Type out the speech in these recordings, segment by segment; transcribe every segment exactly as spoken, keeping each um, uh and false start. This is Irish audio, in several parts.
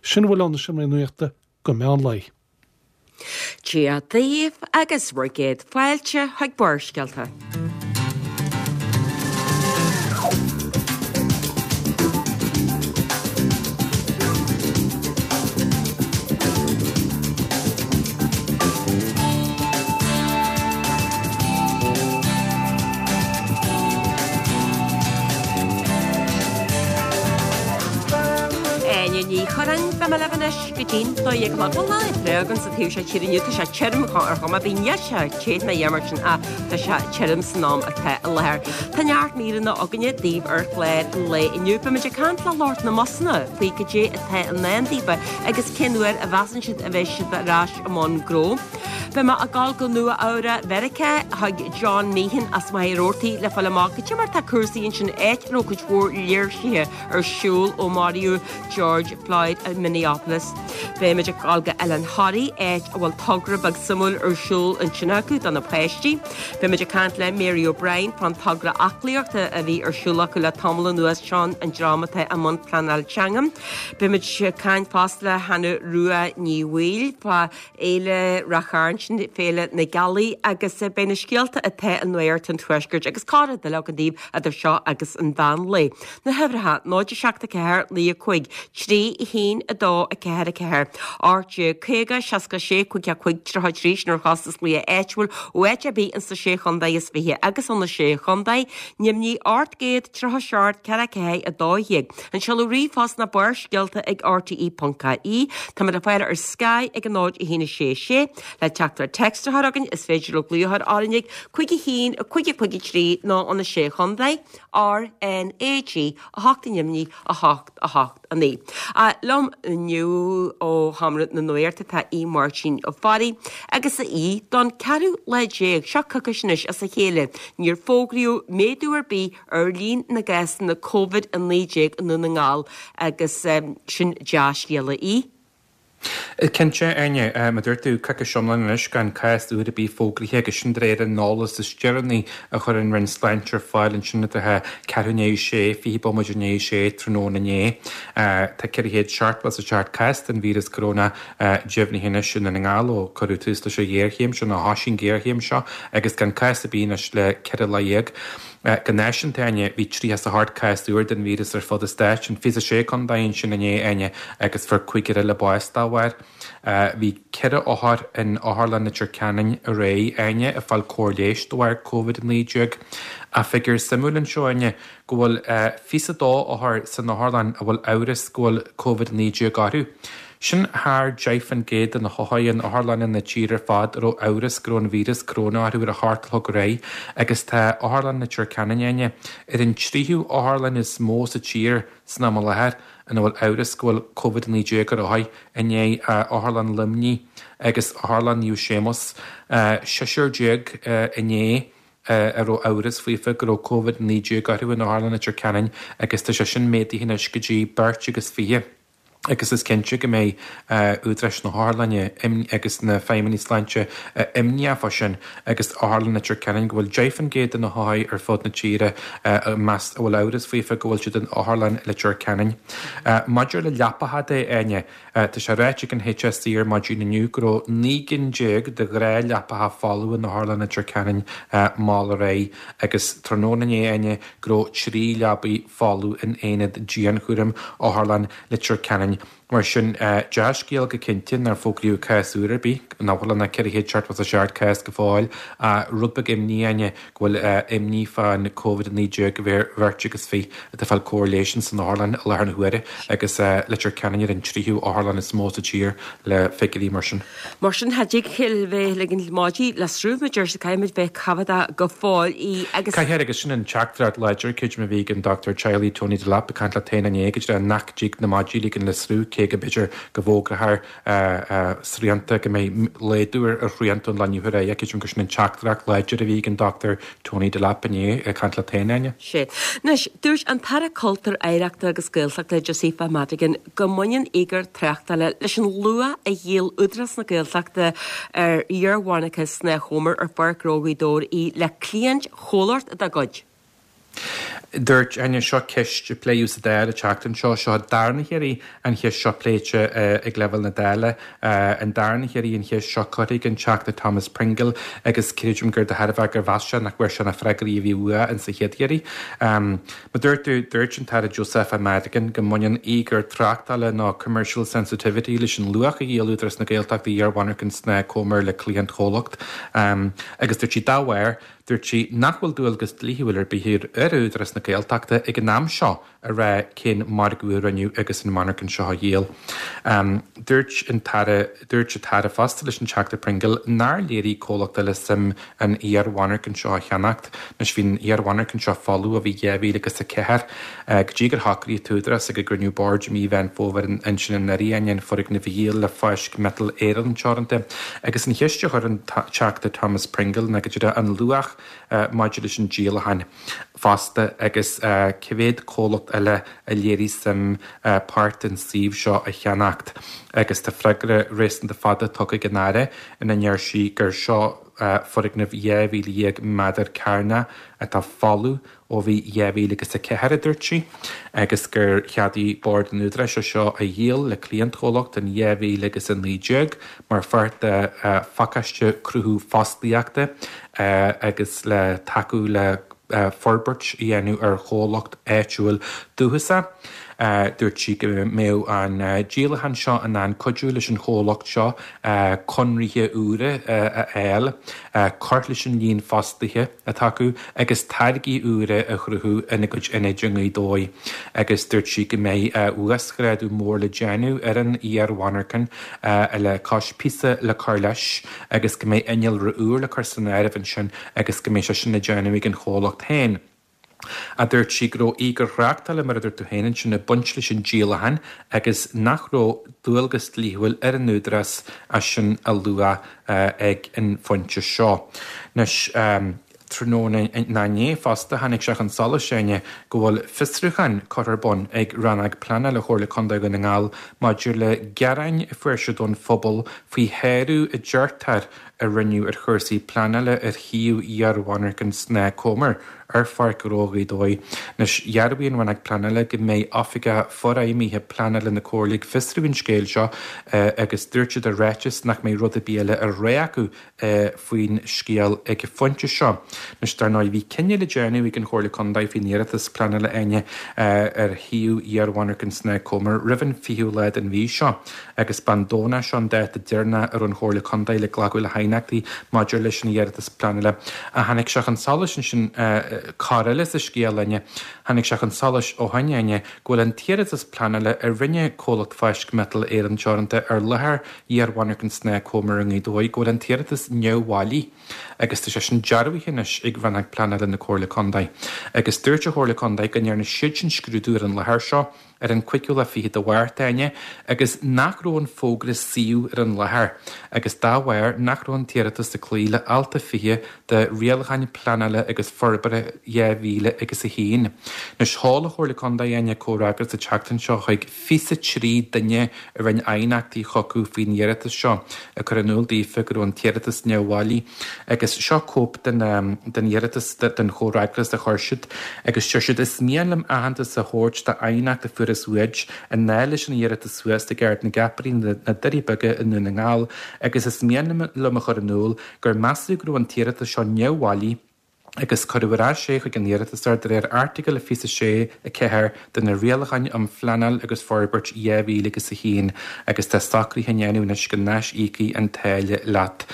Sin a bhfuil ann sa seomra nuachta go meán lae. Dia daoibh agus bhur gcéad fáilte chuig Barrscéalta. Áine Ní Churráin, beidh mé libh anois go dtí'n dó dhéag a chlog. Bhuel, lá breá againn sa taobh seo tíre inniu, tá sé tirim ar chuma ar bith, níl sé te ná a dhath mar sin ach tá sé tirim san am atá i láthair. Tá neart míreanna againne daoibh ar chlár an lae inniu. Beimid ag caint le lucht na mbusanna faoi cad é atá i ndán daofa agus cén uair a mheasann siad a bheidh siad ar ais i mbun gnó. Beidh mé ag dul go Nua Eabhrac Mheiriceá chuig John Meehan as Machaire Rabhartaigh le fáil amach cad é mar tá cúrsaí ansin áit a raibh cuid mhór léirsithe ar siúl ó maraíodh George Floyd i Minneapolis. Beimid ag dul go Oileán Thoraí áit a bhfuil togra beag suimiúil ar siúl ansin acu do na páistí. Beimid ag caint le Mary O'Brien fán togra aclaíochta a bhí ar siúl acu le tamall anuas seo an dream atá i mbun pleanáil teanga. Beimid ag caint fosta le Hannah Rua Ní Bhaoill fá Fhéile Ráth Chairn sin Féile na Gealaí agus beidh na scéalta atá i Nuacht an Tuaiscirt agus corr-rud eile againn daoibh idir seo agus an mheán lae. Na huimhreacha, náid a seacht a ceathair naoi a cúig, trí a haon a dó a ceathair a ceathair, ocht déag caoga seasca sé cúig a cúig tríocha trí sin ar chostas glaoch áitiúil ó áit ar bith insa sé chontae is fiche agus ó na sé chontae, Nimhní ocht gcéad tríocha seacht ceathair ceathair a dó dhéag. An seoladh ríomhphost ná barrscéalta ag R T E ponc I E. Táimid le fáil ar Sky ag a náid a haon a sé sé. Le teachtaireacht téacs a chur chugainn is féidir libh glaoch a chur orainn ag cúig a haon a cúig a cúig a trí nó ó na sé chontae, R N A G a hocht i nDoimní a hocht a hocht a naoi. Liom inniu ó Sheomra na Nuachta tá Aodh Máirtín Ó Fearraigh agus a Aoidh don ceathrú lá déag, seo coicís anois as a chéile, níor fógraíodh méadú ar bith ar líon na gcásanna Covid a naoi déag i nDún na nGall agus sin dea-scéala í. Cinnte, Áine, mar a dúirt tú, coicís iomlán anois gan cás úr ar bith fógraithe agus sin de réir an eolas is deireanaí a chuir an Roinn Sláinte ar fáil ansin idir ceathrú i ndiaidh a sé, fiche bomaite i ndiaidh a sé tráthnóna inné. Tá ceithre chéad seachtó is a seacht cás den víreas coróna deimhnithe anois i nDún na nGall ó cuireadh tús leis an ghéarchéim seo, nó thosaigh an ghéarchéim seo, agus gan cás ar bith anois le ceithre lá dhéag. Go náisiúnta, Áine, bhí tríocha is a hocht cás úr den víreas ar fud an stáit, in fiche is a sé contae ansin inné, Áine, agus fuair cúigear eile bás dá bharr. Bhí ceithre othar in Otharlann Leitir Ceanainn aréir, Áine, ag fáil cóir leighis de bharr Covid a naoi déag. Ach figiúr suimiúil anseo, Áine, go bhfuil fiche is a dó othar san otharlann a bhfuil amhras go bhfuil Covid a naoi déag orthu. Sin thar deich faoin gcéad de na hothair in otharlanna na tíre ar fad a raibh amhras go raibh an víreas coróna orthu ar a hocht a chlog aréir agus tá Otharlann Leitir Ceanainn, Áine, ar an tríú otharlann is mó sa tír san am i láthair ina bhfuil amhras go bhfuil Covid a naoi déag ar othair, i ndiaidh Otharlann Luimnigh agus Otharlann Naomh Séamus. Seisear déag inné a raibh amhras faofa go raibh Covid a naoi déag orthu in Otharlann Leitir Ceanainn agus tá sé sin méadaithe anois go dtí beirt agus fiche. Agus is cinnte go mbeidh údaráis na hotharlainne agus na feidhmeannaigh sláinte imníoch fá sin agus Otharlann Leitir Ceanainn go bhfuil deich faoin gcéad de na hothair ar fud na tíre a meas a bhfuil amhras faofa go bhfuil siad in Otharlann Leitir Ceanainn. Maidir le leapacha de, Áine, tá sé ráite ag an H S E ar maidin inniu go raibh naoi gcinn déag de ghnáthleapacha folamh in Otharlann Leitir Ceanainn mall aréir agus tráthnóna inné, Áine, go raibh trí leabaidh folamh in aonad dianchúraim Otharlann Leitir Ceanainn. Mar sin, dea-scéal go cinnte nár fógraíodh cás úr ar bith, nach bhfuil ann ach ceithre chéad seachtó is a seacht cás go fóill, ach rud beag imní, Áine, go bhfuil imní fán Covid a naoi déag ar bheirt agus fiche atá ag fáil cóir leighis san otharlann i láthair na huaire agus Leitir Ceanainn ar an tríú otharlann is mó sa tír le figiúirí mar sin. Mar sin, cha dtig bheith ag ligean maidí le sruth, mar a deir siad, caithfimid bheith coimheadach go fóill í agus. Caithfear agus sin an teachtaireacht láidir, creidim, a bhí ag an Dochtúir Teaghlaigh Tony Delap ag caint le T N inné go dtí nach dtig na maidí a ligean le sruth, cé go mb'fhéidir go bhfógrófar srianta, go mbeidh laghdú ar shrianta ón lá inniu ar aghaidh. Creidim gur sin an teachtaireacht láidir a bhí ag an Dochtúir Tony Delap inné ag caint le T N. Sea. Anois, dúirt an tAire Cultúir, Oidhreachta agus Gaeltachta Josepha Madigan go mbaineann íogair tráchtála leis an luach a dhíol Údarás na Gaeltachta ar iar-mhonarcha Snáth Chomair ar Pháirc Ghnó Ghaoth Dobhair í le cliaint chomhlacht dá gcuid. Dúirt Áine seo ceist a pléadh sa Dáil an tseachtain seo, seo an darna hiarraidh an cheist seo pléite ag leibhéal na Dála, an darna hiarraidh an cheist seo curtha ag an Teachta Thomas Pringle agus creidim gur de thairbhe gur mheas sé nach bhfuair sé na freagraí a bhí uaidh insa chéad iarraidh. Mar dúirt tú, dúirt an tAire Josepha Madigan go mbaineann íogair tráchtála nó commercial sensitivity leis an luach a dhíol Údarás na Gaeltachta iar-mhonarchan Snáth Comair le cliantchomhlacht agus dúirt sí dá bharr, Dúirt sí nach bhfuil dualgas dlíthiúil ar bith ar Údarás na Gaeltachta ag an am seo a rá cén margadh a rinneadh agus an mhonarchan seo á dhíol. Dúirt an tAire Dúirt an tAire fosta leis an Teachta Pringle nár léirigh comhlacht eile suim an iar-mhonarchan seo a cheannacht. Anois bhí an iar-mhonarchan seo folamh ó bhí dhá mhíle agus a ceathair go dtí gur shocraigh an tÚdarás ag a gcruinniú boird i mí Mheán Fómhair ansin anuraidh an foirgneamh a dhíol le Fáisc Miotal Éireann Teoranta. Agus an cheist a chuir an Teachta Thomas Pringle ná go díreach an luach maidir leis an díolachán fosta agus cé mhéad comhlacht eile a léirigh suim páirt den suíomh seo a cheannacht agus tá freagra réasúnta fada tugtha ag an Aire ina ndeir sí gur seo foirgneamh dhá mhíle dhéag méadar cearnach atá folamh ó bhí dhá mhíle agus a ceathair, a dúirt sí, agus gur cheadaigh Bord an Údaráis é seo a dhíol le cliantchomhlacht in dhá mhíle agus a naoi déag mar pháirt de phacáiste cruthú fostaíochta agus le tacú le forbairt a dhéanamh ar chomhlacht áitiúil dúchasach. Dúirt sí go mbeadh an díolachán seo in ann cuidiú leis an chomhlacht seo conraithe úra a fháil, cur leis an líon fostaithe atá acu agus táirgí úra a chruthú ina gcuid ionaid i nGaoth Dobhair agus dúirt sí go mbeidh uasghrádú mór le déanamh ar an iar-mhonarchan le cois píosa le cur leis agus go mbeidh innealra úr le cur san áireamh ansin agus go mbeidh sé sin le déanamh ag an chomhlacht féin. A dúirt sí go raibh íogair thráchtála, mar a dúirt tú féin ansin, ag baint leis an díolachán agus nach raibh dualgas dlíthiúil ar an Údarás é sin a lua ag an phointe seo. Anois, tráthnóna inné fosta, tháinig sé chun solais, Áine, go bhfuil fiosrúchán curtha ar bun ag Rannóg Pleanála Chomhairle Contae Dhún na nGall maidir le gearáin a fuair siad ón phobal faoi shárú a deirtear a rinneadh ar chúrsaí pleanála ar shuíomh iar-mhonarchan Snáth Comair ar Pháirc Ghnó Ghaoth Dobhair. Anois, dhearbhaigh an Rannóg Pleanála go mbeidh Oifigeach Forfheidhmithe Pleanála na Comhairle ag fiosrú an scéil seo agus dúirt siad i ráiteas nach mbeidh rud ar bith eile á rá acu faoin scéal ag an phointe seo. Anois, dar ndóigh, bhí cinneadh le déanamh ag an Chomhairle Contae faoin iarratas pleanála Áine ar shuíomh iar-mhonarchan Snáth Comair roimh an fichiú lá den mhí seo agus b'an Domhnach seo an dáta deireanach a raibh an Chomhairle Contae le glacadh le haighneachtaí maidir leis an iarratas pleanála. Ach tháinig sé chun solais ansin cor eile sa scéal, Áine, tháinig sé chun solais ó shin, Áine, go bhfuil an t-iarratas pleanála a rinne comhlacht Fáisc Miotal Éireann Teoranta ar láthair iar-mhonarchan Snáth Comair i nGaoth Dobhair, go bhfuil an t-iarratas neamhbhailí agus tá sé sin dearbhaithe anois ag Rannóg Pleanála na Comhairle Contae. Agus dúirt an Chomhairle Contae go ndearna siadsan scrúdú ar an láthair seo ar an cúigiú lá fichead de Mhárta, Áine, agus nach raibh an fógra suíomh ar an láthair agus dá bharr nach raibh an t-iarratas ag cloí le alt a fiche de Rialacháin Pleanála agus Forbartha dhá mhíle agus a haon. Anois, sheol an Chomhairle Contae, Áine, comhfhreagras an tseachtain seo chuig fiche trí duine a rinne aighneachtaí chucu faoin iarratas seo, ag cur in iúl daofa go raibh an t-iarratas neamhbhailí. Agus seo cóip den den iarratas, den chomhfhreagras a chuir siad agus deir siad, Is mian liom aitheantas a thabhairt d'aighneacht a fuarthas uait i ndáil leis an iarratas thuas ag Ard na gCeapairí, na Doirí Beaga i nDún na nGall agus is mian liom a chur in iúl gur measadh go raibh an t-iarratas seo neamhbhailí agus cuireadh ar ais é chuig an iarratasóir de réir Airteagal fiche a sé a ceathair de na Rialacháin um Phleanáil agus Forbairt dhá mhíle agus a haon agus tá socruithe á ndéanamh anois go n-aisíocfaí an táille leat.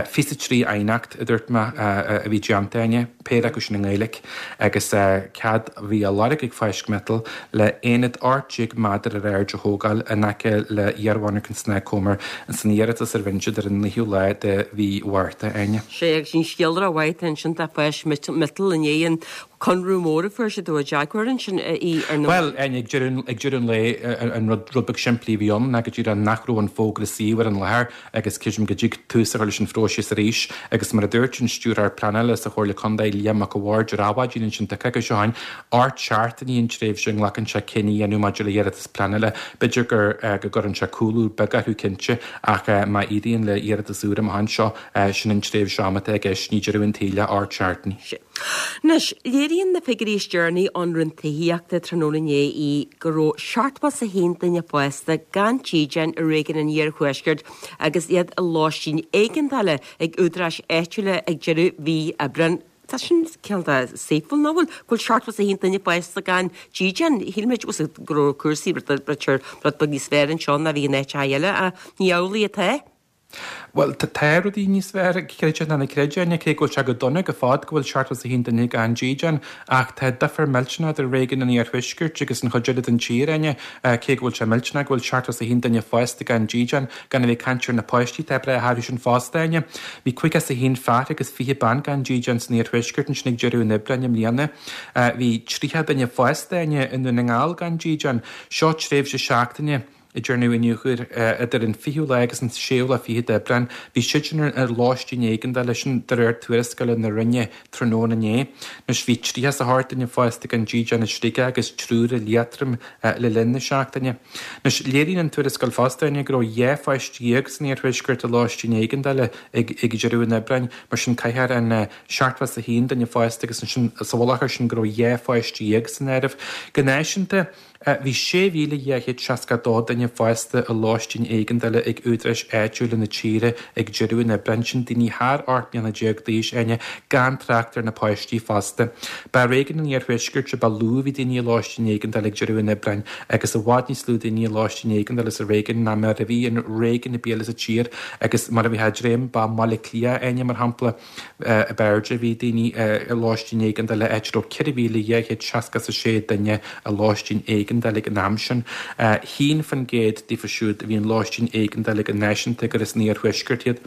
Fiche a trí aighneacht, a dúirt mé, a bhí déanta, Áine, péire acu sin i nGaeilge, agus cead a bhí á lorg ag Fáisc Miotal le aonad ocht déag méadar ar airde a thógáil in aice le hiarmhonarchan Snáth Comair san iarratas a rinne siad ar an naoú lá de mhí Mhárta, Áine. Sea, agus an scéal rómhaith ansin tá Fáisc Miotal i ndiaidh an conradh mór a fuair siad ó Jaguar ansin í ar na. Bhuel, Áine, ag deireadh ag deireadh an lae, an rud rud beag simplí a bhí ann ná go díreach nach raibh an fógra suíomh ar an láthair agus creidim go dtig tús a chur leis an phróiseas arís agus mar a dúirt an Stiúrthóir Pleanála sa Chomhairle Contae, Liam Mac a' Bhaird ar Adhmhaidin ansin tá coicís ó shin, ocht seachtainí an tréimhse a nglacann sé cinneadh a dhéanamh maidir le hiarratas pleanála. B'fhéidir gur go gcuireann sé cúlú beag orthu cinnte ach má éiríonn le hiarratas úr amach anseo, sin an tréimhse ama atá i gceist, ní deireadh an tsaoil é ocht seachtainí. Anois, léiríonn Léiríonn na figiúirí is deireanaí ón Roinn Tithíochta tráthnóna inné í go raibh seachtó is a haon duine fásta gan dídean i réigiún an Iarthuaiscirt agus iad i lóistín éigeandála ag údaráis áitiúla ag deireadh mhí Aibreáin. Tá sin cineál de saoithiúil, nach bhfuil? Go bhfuil seachtó is a haon duine fásta gan dídean. Shíl muid go raibh cúrsaí rud beag níos fearr anseo ná bhí in áiteacha eile ach ní amhlaidh atá. Bhuel, tá rudaí níos fearr, creid é nó ná creid é, cé go bhfuil sé go dona go fad go bhfuil seachtó is a haon duine gan dídean, ach tá difear millteanach idir réigiún an Iarthuaiscirt agus an chuid eile den tír, Áine, cé go bhfuil sé millteanach go bhfuil seachtó is a haon duine fásta gan dídean, gan a bheith ag caint ar na páistí atá ag breith orthu sin fosta, Áine. Bhí caoga is a haon fear agus fiche bean gan dídean san Iarthuaisceart ansin ag deireadh an Aibreáin i mbliana. Bhí tríocha duine fásta, Áine, i nDún na nGall gan dídean. Seo tréimhse seachtaine. a dearnadh iniúchadh idir an fichiú lá agus an séú lá fichead d'Aibreán. Bhí siadsan ar lóistín éigeandála, sin de réir tuarascála na Roinne tráthnóna inné. Anois bhí tríocha is a hocht duine fásta gan dídean i Sligeach agus triúr i Liatroim le linn na seachtaine. Anois léiríonn an tuarascáil fosta Áine go raibh dhá pháiste dhéag san iarthuaisceart i lóistín éigeandála ag ag deireadh an Aibreáin, mar sin caithfear an seachtó is a haon duine fásta agus ansin sa mhullach air sin go raibh dhá pháiste dhéag san áireamh. Go náisiúnta, Bhí sé mhíle dhá chéad seasca a dó duine fásta i lóistín éigeandála ag údaráis áitiúla na tíre ag deireadh an Aibreáin, sin daoine thar ocht mbliana déag d'aois, Áine, gan trácht ar na páistí fosta. Ba i réigiún an Iarthuaiscirt a ba lú a bhí daoine i lóistín éigeandála ag deireadh an Aibreáin agus i bhfad níos lú daoine i lóistín éigeandála sa réigiún ná mar a bhí in réigiún ar bith eile sa tír agus mar a bhí ag dréim ba i mBaile Átha Cliath, Áine, mar shampla, ab airde a bhí daoine i lóistín éigeandála, áit a raibh ceithre mhíle dhá chéad seasca is a sé duine i lóistín éigeandála ag an am sin. Haon faoin gcéad díofa siúd a bhí in lóistín éigeandála go náisiúnta gur as an iarthuaisceart iad.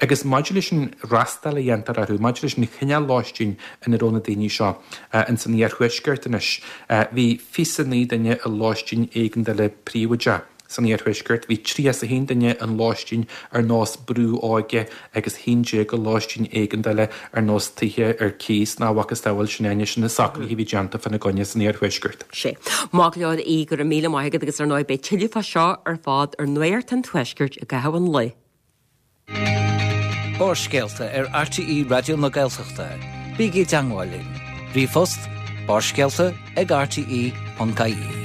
Agus maidir leis an fhreastal a dhéantar orthu, maidir leis an chineál lóistín ina raibh na daoine seo ins an iarthuaisceart anois, bhí fiche is a naoi duine i lóistín éigeandála príobháideach. San iarthuaisceart, bhí tríocha is a haon duine in lóistín ar nós brú óige agus haon déag i lóistín éigeandála ar nós tithe ar cíos nó a mhacasamhail sin Áine, sin na socruithe a bhí déanta fána gcoinne san iarthuaisceart. Sea. Maith go leor, a Aoidh, go raibh míle maith agat agus ar ndóigh beidh tuilleadh fá seo ar fad ar Nuacht an Tuaiscirt i gcaitheamh an lae. Barrscéalta ar RTÉ Raidió na Gaeltachta. Bígí i dteangmháil linn. Ríomhphost, barrscéalta ag rte ponc ie.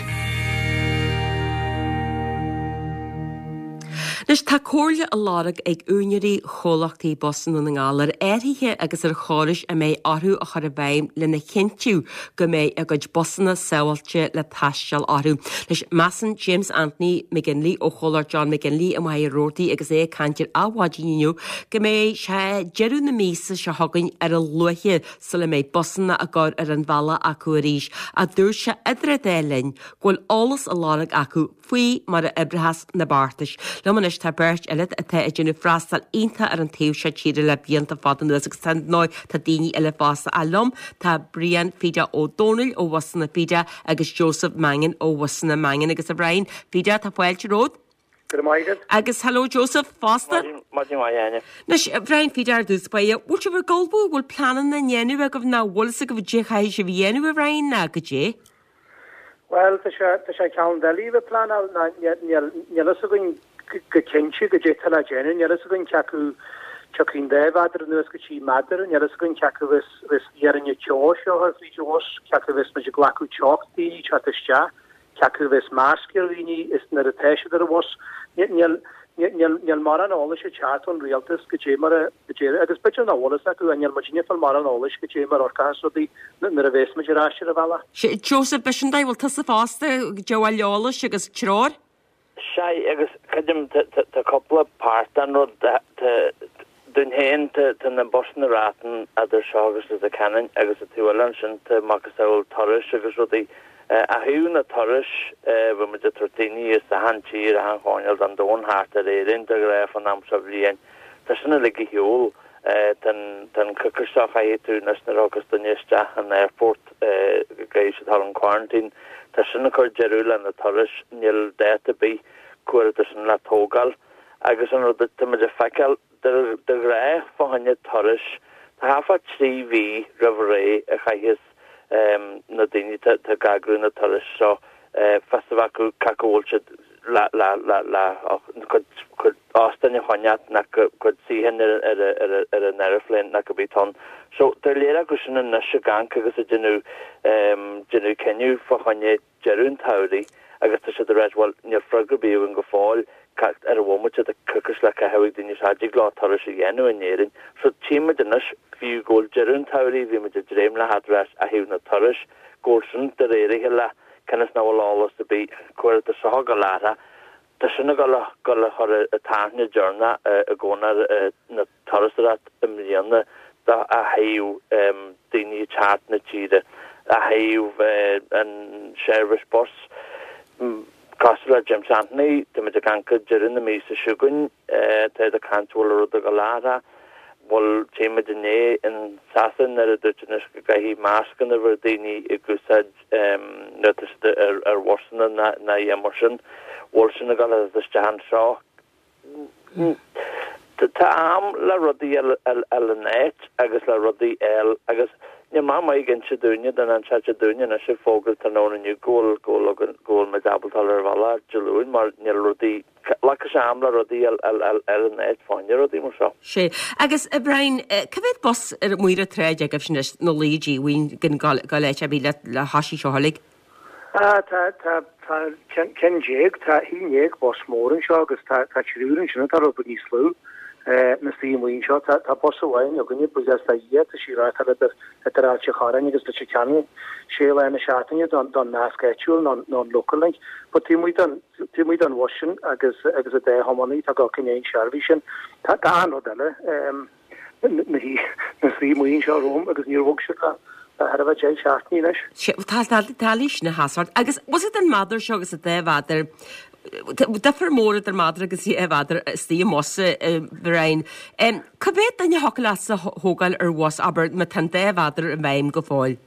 Anois tá comhairle á lorg ag úinéirí chomhlachtaí bus i nDún na nGall ar athruithe agus ar chórais a mbeidh orthu a chur i bhfeidhm lena chinntiú go mbeidh a gcuid busanna sábháilte le taisteal orthu. Anois measann James Anthony McGinley ó chomhlacht John McGinley i Machaire Rabhartaigh agus é ag caint ar Adhmhaidin inniu go mbeidh sé deireadh na míosa seo chugainn ar a luaithe sula mbeidh busanna á gcur ar an bhealach acu arís ach dúirt sé idir an dá linn go bhfuil eolas á lorg acu faoi mar a oibreochas na beartais. Liom anois tá beirt eile atá ag déanamh freastal iontach ar an taobh seo tíre le blianta fada anuas agus tá ndóigh tá daoine eile fosta ach liom tá Brian Fida Ó Dónaill ó Bhusanna Fida agus Joseph Mangan ó Bhusanna Mangan agus a Bhriain Fida tá fáilte romhat. Go raibh maith agat. Agus hello Joseph fosta. Maidin mhaith Áine. Anois a Bhriain Fida ar dtús báire, bhfuil sibh ag ullmhú, bhfuil pleananna á ndéanamh agaibh nó bhfuil fhios agaibh caidé chaithfidh sibh a dhéanamh a Bhriain ná goidé? Bhuel, tá sé, tá sé ceann doiligh a bheith ag pleanáil ná níl, níl fhios againn go cinnte goidé atá le déanamh, níl fhios againn cé acu tiocfaidh an dá mheadar anuas go trí méadar, níl fhios againn cé acu bheas, bheas iarrainn teo seo ar fríd an bhus, cé acu bheas muid ag glacadh teocht daoine teacht isteach, cé acu bheas masc ar dhaoine is nuair atá siad ar an bhus. Níl, níl, níl mórán eolais ag teacht ón rialtas goidé mar a, goidé, agus b'fhéidir nach bhfuil fhios acu, níl muidinne ag fáil mórán eolais goidé mar a amharcfas rudaí nuair a bheas muid ar ais ar an bhealach. Sea, Joseph, b'shin é, bhfuil tusa fosta ag díobháil eolais agus treoir? Sea, agus creidim, tá cúpla páirt den rud, tá, dúinn féin, tá na busanna Ratan idir seo agus Leitir Ceanainn agus an taobh eile ansin tá macasamhail turais agus rudaí. Ó thaobh na turais, bhí muid ag tabhairt daoine as achan tír, achan choirnéal den domhan thart ar Éirinn de ghnáth fán am seo bhliain. Tá sin uilig ar shiúl. Tá an coicís seo chaithfidh tú anois nuair a thiocfas duine isteach an airport go gcaithfidh siad dul chun quarantine. Tá sin ag cur deireadh le na turais. Níl dáta ar bith cá huair atá sin le tógáil. Agus an rud atá muid ag feiceáil, de ghnáth fá choinne turais, tá thart fá trí mhí roimh ré a chaithfeas na daoine atá ag eagrú na turais seo fios a bheith acu cé acu bhfuil siad le le le le cuid cuid óstáin a choinneáil ná cuid suíocháin ar ar ar ar an aeroplane ná cibé atá ann. So tá léir acu sin anois ag amharc agus ag déanamh déanamh cinneadh fá choinne deireadh an tsamhraidh agus tá siad ag ráit bhuel níl freagra ar bith againn go fóill ar an bhomaite tá coicís le caitheamh ag daoine seo a dtig leo turas a dhéanamh in Éirinn. So tchímid anois fiú go bhfuil deireadh an tsamhraidh bhí muid ag dréim le theacht ar ais ó thaobh na turais go bhfuil sin de réir a chéile cionn is nach bhfuil eolas ar bith cuir do seo go látha Tá sin ag dul a dul a chur an tairne deireanach i gcónair na turasóireacht i mbliana do a thaobh daoine ag teacht na tíre, a thaobh an seirbhís bus. Cosúil le James Anthony, tá muid ag caint go deireadh na míosa seo chugainn, tá siad ag caint bhfuil rud ag dul a athrú. Bhuel, tchí muid inné in Sasana nuair a dúirt anois go gcaithfidh mascanna a bheith ar daoine ag úsáid nuair atá siad ar ar bhusanna ná ná a mar sin. Bhfuil sin ag dul isteach anseo. Tá am le rudaí a fháil in áit agus le rudaí a fháil agus níl mé maith ag inse dúinne den an sé dúinne anois ag fógairt tráthnóna inniu go bhfuil go bhfuil go bhfuil muid ábalta dul ar bhealach Dé Luain mar níl rudaí Glacann sé am le rudaí a fháil in áit fá choinne rudaí mar seo. Sé. Agus, a Brian, cá mhéad bus ar amuigh ar an tsráid agaibh anois na laoi díomhaoin den go áit ar bith le le thoisí seo uilig? Ah, tá, tá, tá ceann déag, tá haon déag bus mór anseo agus tá, tá triúr ansin atá rud beag níos lú. Na suí amuigh anseo. Tá, tá bus amháin againne, buíochas le Dia, tá sí reáchtáil idir, idir Ailt an Chorráin agus Leitir Ceanainn sé lá na seachtaine don, don nasc áitiúil nó, nó an local link. But taobh amuigh den, taobh amuigh den bhus sin agus, agus an dá thiománaí atá ag gabháil i ndiaidh an seirbhís sin, tá, tá an-rud eile, na shuí, na suí amuigh anseo romham agus níor bhog siad le, le thar a bheith deich seachtainí anois. Sé, tá, tá, tá leis na hasart. Agus was it an madra seo agus an dá mhéadar, difear mór idir madra agus dhá mhéadar istigh i mbus, a Brian. Cá mhéad duine a thiocfadh leatsa a thógáil ar bhus, abair, má tá an dá mhéadar i bhfeidhm go fóill?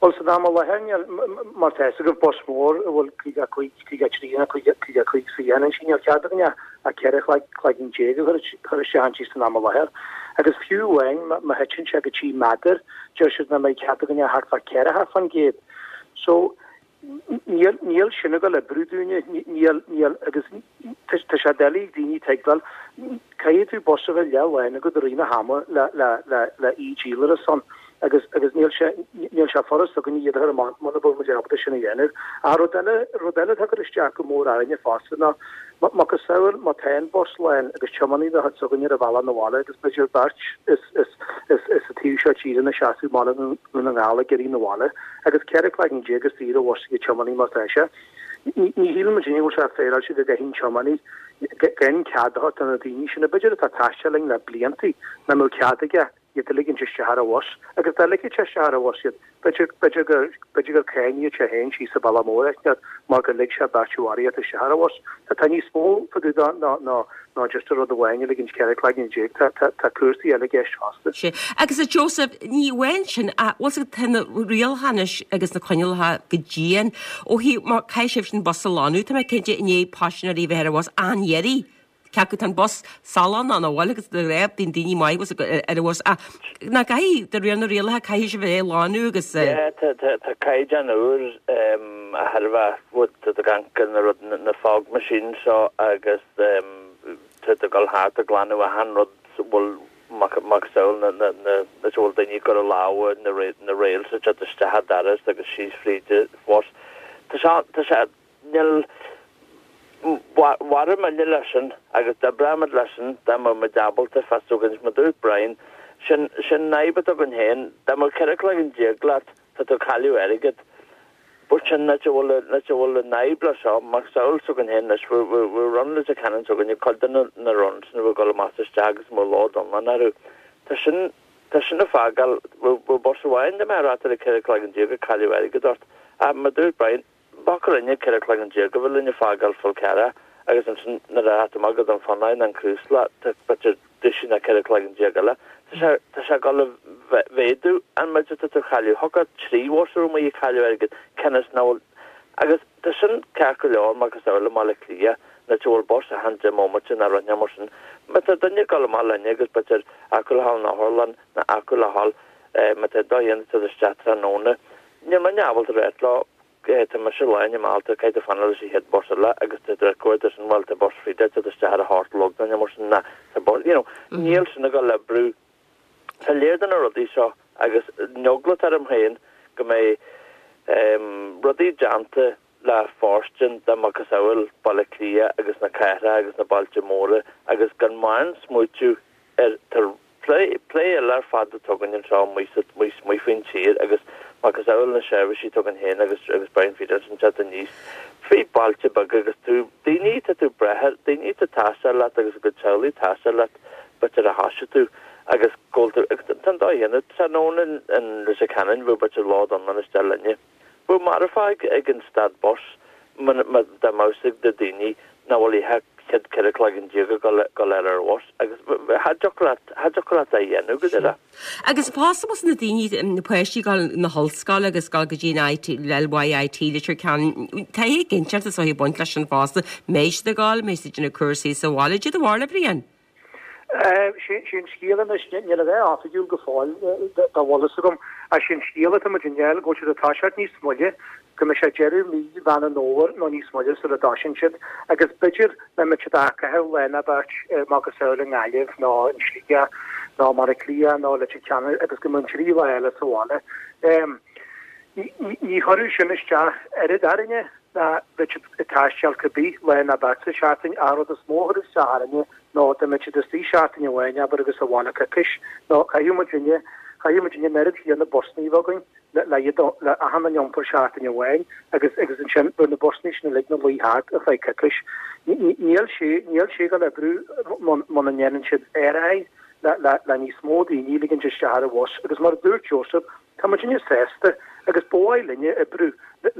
Bhuel, san am i láthair, níl, mar tá fhios agaibh, bus mór a bhfuil caoga a cúig, caoga a trí nó caoga, caoga a cúig suíochán inti, níl cead againn ach ceithre chloigeann déag a chur isteach inti san am i láthair. Agus fiú amháin má thiteann sé go trí méadar, deir siad nach mbeidh cead againn ach thart fá ceathracha faoin gcéad. So, níl, níl sin ag dul oibriú dúinne, níl, níl, agus tá sé doiligh ag daoine tuigbheáil, caithfidh tú bus a bheith leath lán agat i rith na hama le, le, le, le e-díolaireacht san agus, agus níl sé, níl sé furast againn iad a chur amach muna bhfuil muid ábalta sin a dhéanamh. Ach rud eile, rud eile atá ag cur isteach go mór orainne fosta ná macasamhail má tá an bus lán agus tiománaí de chuid s'againne ar a bhealach 'na bhaile agus b'fhéidir beirt is, is, is, is sa taobh seo tíre ina seasamh i mBaile Dhún na nGall ag iarraidh 'na bhaile agus ceithre cloigeann déag istigh ar an bhus ag an tiománaí mar tá sé. Ní, ní shíleann muid go bhfuil sé féaráilte go gcaithfidh an tiománaí gan cead a thabhairt do na daoine sin, b'fhéidir atá ag taisteal linn le bliantaí, nach mbeadh cead aige iad a ligint isteach ar an bhus agus dá ligfeadh sé isteach ar an bhus iad, b'fhéidir, b'fhéidir gur, b'fhéidir gur cáinfeadh sé féin síos sa bhealach mór é mar gur lig sé beirt mharaithe isteach ar an bhus. Tá, tá níos mó fá dtaobh de ná, ná, ná just an rud amháin a ligint ceithre cloigeann déag. Tá, tá, tá cúrsaí eile i gceist fosta. Sé. Agus a Joseph, ní amháin sin, ach bhfuil fhios agat, tá na rialacha anois agus na coinníollacha go dian ó thaobh, má caithfidh sibh an bus a lánú, tá mé cinnte i ndiaidh paisinéirí a bheith ar an bhus an-iarraidh. Cé acu tá an bus salán ann a bhfuil agus de réir bíonn daoine maith bhus ar an bhus ach ná caithfidh de réir na rialacha caithfidh sibh é a lánú agus Yeah, tá tá tá caighdeán úr um, a thairbhe tá tú ag amharc ar na rud na fog machine seo agus um, tá tú ag dul thart ag glanadh achan rud bhfuil macasamhail na na na na bhfuil daoine ag cur a lámha na na rails a teacht isteach an doras agus síos fríd an bhus. Tá sé tá sé níl Mhair muid leis sin agus d'oibreoidh muid leis sin dá mbeadh muid ábalta fás againn mar dúirt Brian, sin sin an fhadhb atá againn féin, dá mbeadh ceithre cloigeann déag leat tá tú ag cailleadh airgead. But sin áit a bhfuil áit a bhfuil an fhadhb le seo, macasamhail s'againn féin anois, bhí run Leitir Ceanainn s'againne, cuid de na na runs sin a bhí ag dul amach is isteach agus mo load iomlán orthu. Tá sin tá sin ag fágáil, bhí bus amháin dá mbeadh rata le ceithre cloigeann déag ag cailleadh airgead ort. Ach mar dúirt Brian, B'fhacthar inniu ceithre cloigeann déag a bhfuil linn a fágáil fol cearra agus ansin nuair a theacht amach go Dún Fionnáin an Crúsla tá b'fhéidir duisín ná ceithre cloigeann déag eile. Tá sé tá sé ag dul a mhéadú an méid atá tú a chailleadh. Thiocfadh trí bhus ar amuigh ag cailleadh airgid cionn is nach bhfuil agus tá sin ceart go leor macasamhail i mBaile Átha Cliath nuair a bhfuil bus achan deich mbomaite ná rud mar sin. Má tá duine ag dul amach linne agus b'fhéidir acu le dhul in otharlann ná acu le dhul má tá dó dhéanamh isteach tráthnóna níl muidne ábalta rá leo Tá mise lá i mBealtaine, caithfidh tú fanacht leis an chéad bus eile agus tá tú ag cuartú sin, bhuel, tá bus Frida ag teacht isteach ar a hocht a chlog nó mar sin, ná tá bus, you know, níl sin ag dul oibriú. Tá léir de na rudaí seo agus an eagla atá orm féin go mbeidh rudaí déanta le fóirstean de macasamhail Baile Átha Cliath agus na cathracha agus na bailte móra agus gan mórán smaoitiú ar tá plé plé eile ar fad atá againn anseo amuigh sa amuigh amuigh faoin tír agus macasamhail na seirbhísí atá againn féin agus agus Brian Feeder ansin teacht aníos frí bailte beaga agus tú daoine tá tú breith ar daoine tá taisteal leat agus a gcuid teaghlaigh taisteal leat b'fhéidir a thoisigh tú agus go bhfuil tú agus tá an dóigh chéanna tráthnóna in in Leitir Ceanainn bheadh b'fhéidir lá don isteach linne. Bheadh marfach ag an stad bus dá mbeadh ag na daoine nach bhfuil oíche chéad ceithre cloigeann déag ag dul ar ar bhus agus cha dtiocfadh leat cha dtiocfadh leat é a dhéanamh go deireadh. Agus fosta na daoine na páistí ag dul na hollscoile agus ag dul go dtí an IT LYIT Leitir Ceanainn tá éiginnteacht is ag baint leis an fosta mbeidh siad ag dul mbeidh siad ag déanamh cúrsaí sa bhaile cad é do bharúil a Bhriain. Sé an scéal anois, níl a bheith oifigiúil go fóill dá bhfuil fhios agam, ach sé an scéal atá muid i ndiaidh go bhfuil siad ag toiseacht níos moille, go mbeidh sé deireadh mí Mheán an Fhómhair nó níos moille sula dtoisíonn siad agus b'fhéidir nach mbeidh siad ach caitheamh lá nó beirt macasamhail i nGaillimh nó in Sligeach nó i mBaile Átha Cliath nó Leitir Ceanainn agus go mbeidh an trí lá eile sa bhaile. Ní chuirfeadh sin isteach oiread orainne ná bheadh siad ag taisteal cibé lá nó beirt sa seachtain. An rud is mó a chuirfeadh isteach orainne ná dá mbeadh siad istigh seachtain amháin, abair, agus sa bhaile coicís, nó caithfidh muidinne, caithfidh muidinne an oiread chéanna busanna a bheith againn le, le iad, le achan duine a iompar seachtain amháin agus, agus ansin bheadh na busanna sin uilig ina luí thart ar feadh coicís. Níl sé, níl sé ag dul oibriú muna ndéanann siad ar aghaidh le, le, le níos mó daoine a ligint isteach ar an bhus agus mar a dúirt Joseph, Tá muidinne sásta agus ba mhaith linne oibriú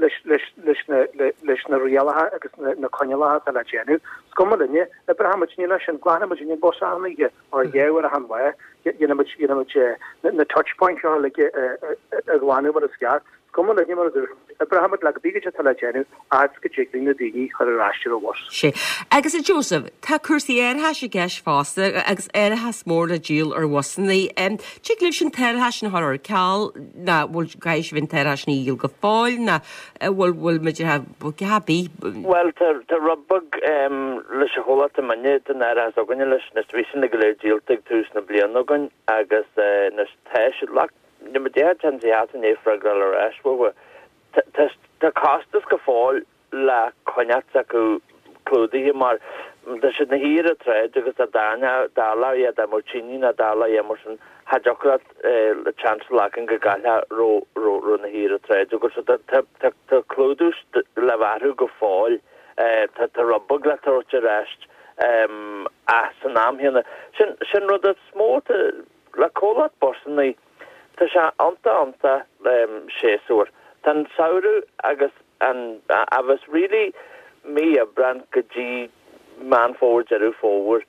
leis leis na leis na rialacha agus na coinníollacha atá le déanamh. Is cuma linne, oibreoidh muidinne leis sin, glanfaidh muidinne an bus achan oíche or dhá uair achan lá, dhéanfaidh muid dhéanfaidh muid na touch points seo uilig a ghlanadh mar is ceart. Is cuma linne mar a dúirt, oibreoidh muid le cibé cad atá le déanamh fhad is go dtig linn na daoine a chur ar ais ar an bhus. Sea. Agus a Joseph, tá cúrsaí árachais i gceist fosta agus árachas mór le díol ar bhusanna. Tig libh an t-árachas sin a chur ar ceal ná bhfuil caithfidh sibh an t-árachas sin a dhíol go fóill ná bhfuil bhfuil muid a bí? Bhuel tá tá rud beag leis an chomhlacht i mbainne den árachas againne leis na bhí sin go léir díolta ag tús na bliana againn agus anois tá siad le ní ma deir ten si hat in freagra ar ais uathu. Tá costas go fóill le coinneáil acu clúdaithe mar tá siad ina shuí ar an tsráid agus dá dtarlódh a dhath dá mbeadh tine nó dá dtarlódh a dhath mar sin cha dtiocfadh leat le chance a ghlacadh go gcaillfeá raibh ina shuí ar an tsráid agus so tá clúdú le bheith orthu go fóill tá rud beag le tabhairt ar ais ach san am chéanna sin sin rud is mó le comhlacht busanna Tá sé iontach iontach séasúr. Tá an samhradh agus an agus really mí Aibreán go dtí Meán Fómhair, Deireadh Fómhair,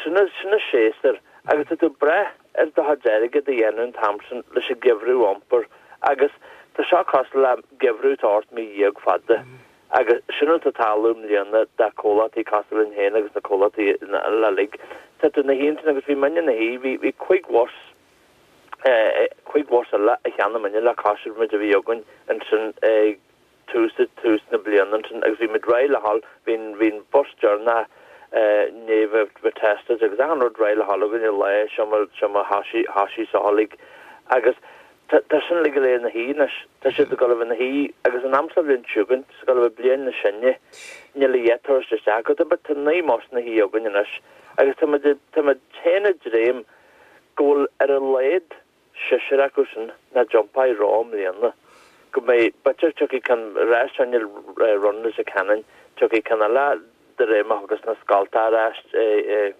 sin sin an séasúr agus tá tú ag brath ar do chuid airgid a dhéanamh an t-am sin leis an gheimhreadh a iompar agus tá seo cosúil le geimhreadh atá ocht mí dhéag fada agus sin rud atá ag tarlú i mbliana do chomhlachtaí cosúil linn féin agus na comhlachtaí eile uilig. Tá tú ina shuí ansin agus bhí muidne ina shuí, bhí bhí cúig bhus cúig bhus eile a cheannaigh muidne le cois an méid a bhí againn ansin ag tús tús na bliana ansin agus bhí muid réidh le dhul, bhí an bhí an bus deireanach i ndiaidh bheith bheith tested agus achan rud réidh le dhul againn an lá seo mar seo mar thoisigh thoisigh seo uilig agus tá tá sin uilig go léir ina shuí anois, tá siad ag dul a bheith ina shuí agus an am seo bhliain seo chugainn, tá ag dul a bheith bliain níos sine, níl a dhath tabhairt isteach acu, tá naoi mbus ina shuí againn anois agus tá muid tá muid féin ag dréim go bhfuil ar a laghad seisear acu sin nach dtiompóidh reo i mbliana, go mbeidh, b'fhéidir, tiocfaidh ceann ar ais ann Run Leitir Ceanainn, tiocfaidh ceann eile de réir mar a thiocfas na scoltacha ar ais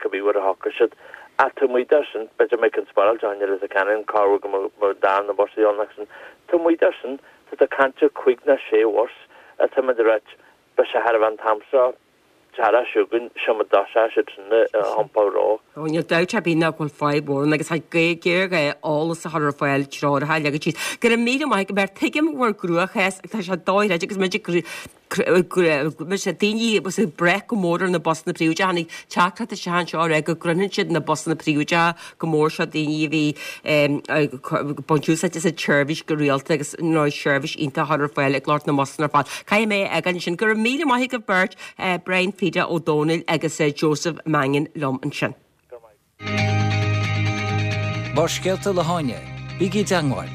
cibé uair a thiocfaidh siad. Ach taobh amuigh de sin, b'fhéidir go mbeidh ceann spáráilte againn i Leitir Ceanainn, corruair go mbeidh darna bus a dhéanamh sin. Taobh amuigh de sin, tá tú ag caint ar cúig nó sé bhus atá muid ag ráit, beidh sé thar a bheith an t-am seo. Tara chugainn, seo mo dá siad sin a iompar reo. Ó, níl dabht ar bith ná go bhfuil fadhb mhór ann agus tá géarghá eolas a chur ar fáil, treoracha a leagan síos. Go raibh míle maith agat, mar tuigim bhur gcruachás, tá sé dochreidte agus muid ag Mise daoine was ag brath go mór ar na busanna príobháideacha. Tháinig teachtaireacht isteach anseo a rá go gcroitheann siad na busanna príobháideacha go mór seo daoine a bhí ag baint úsáid as an tseirbhís go rialta agus nó seirbhís iontach ar fáil ag lucht na mbusanna ar fad. Caithfidh mé a fhágáil ansin. Go raibh míle maith agaibh beirt, Brian Pheda Ó Domhnaill agus Joseph Mangan liom ansin. Barrscéalta le hÁine, bígí i dteagmháil,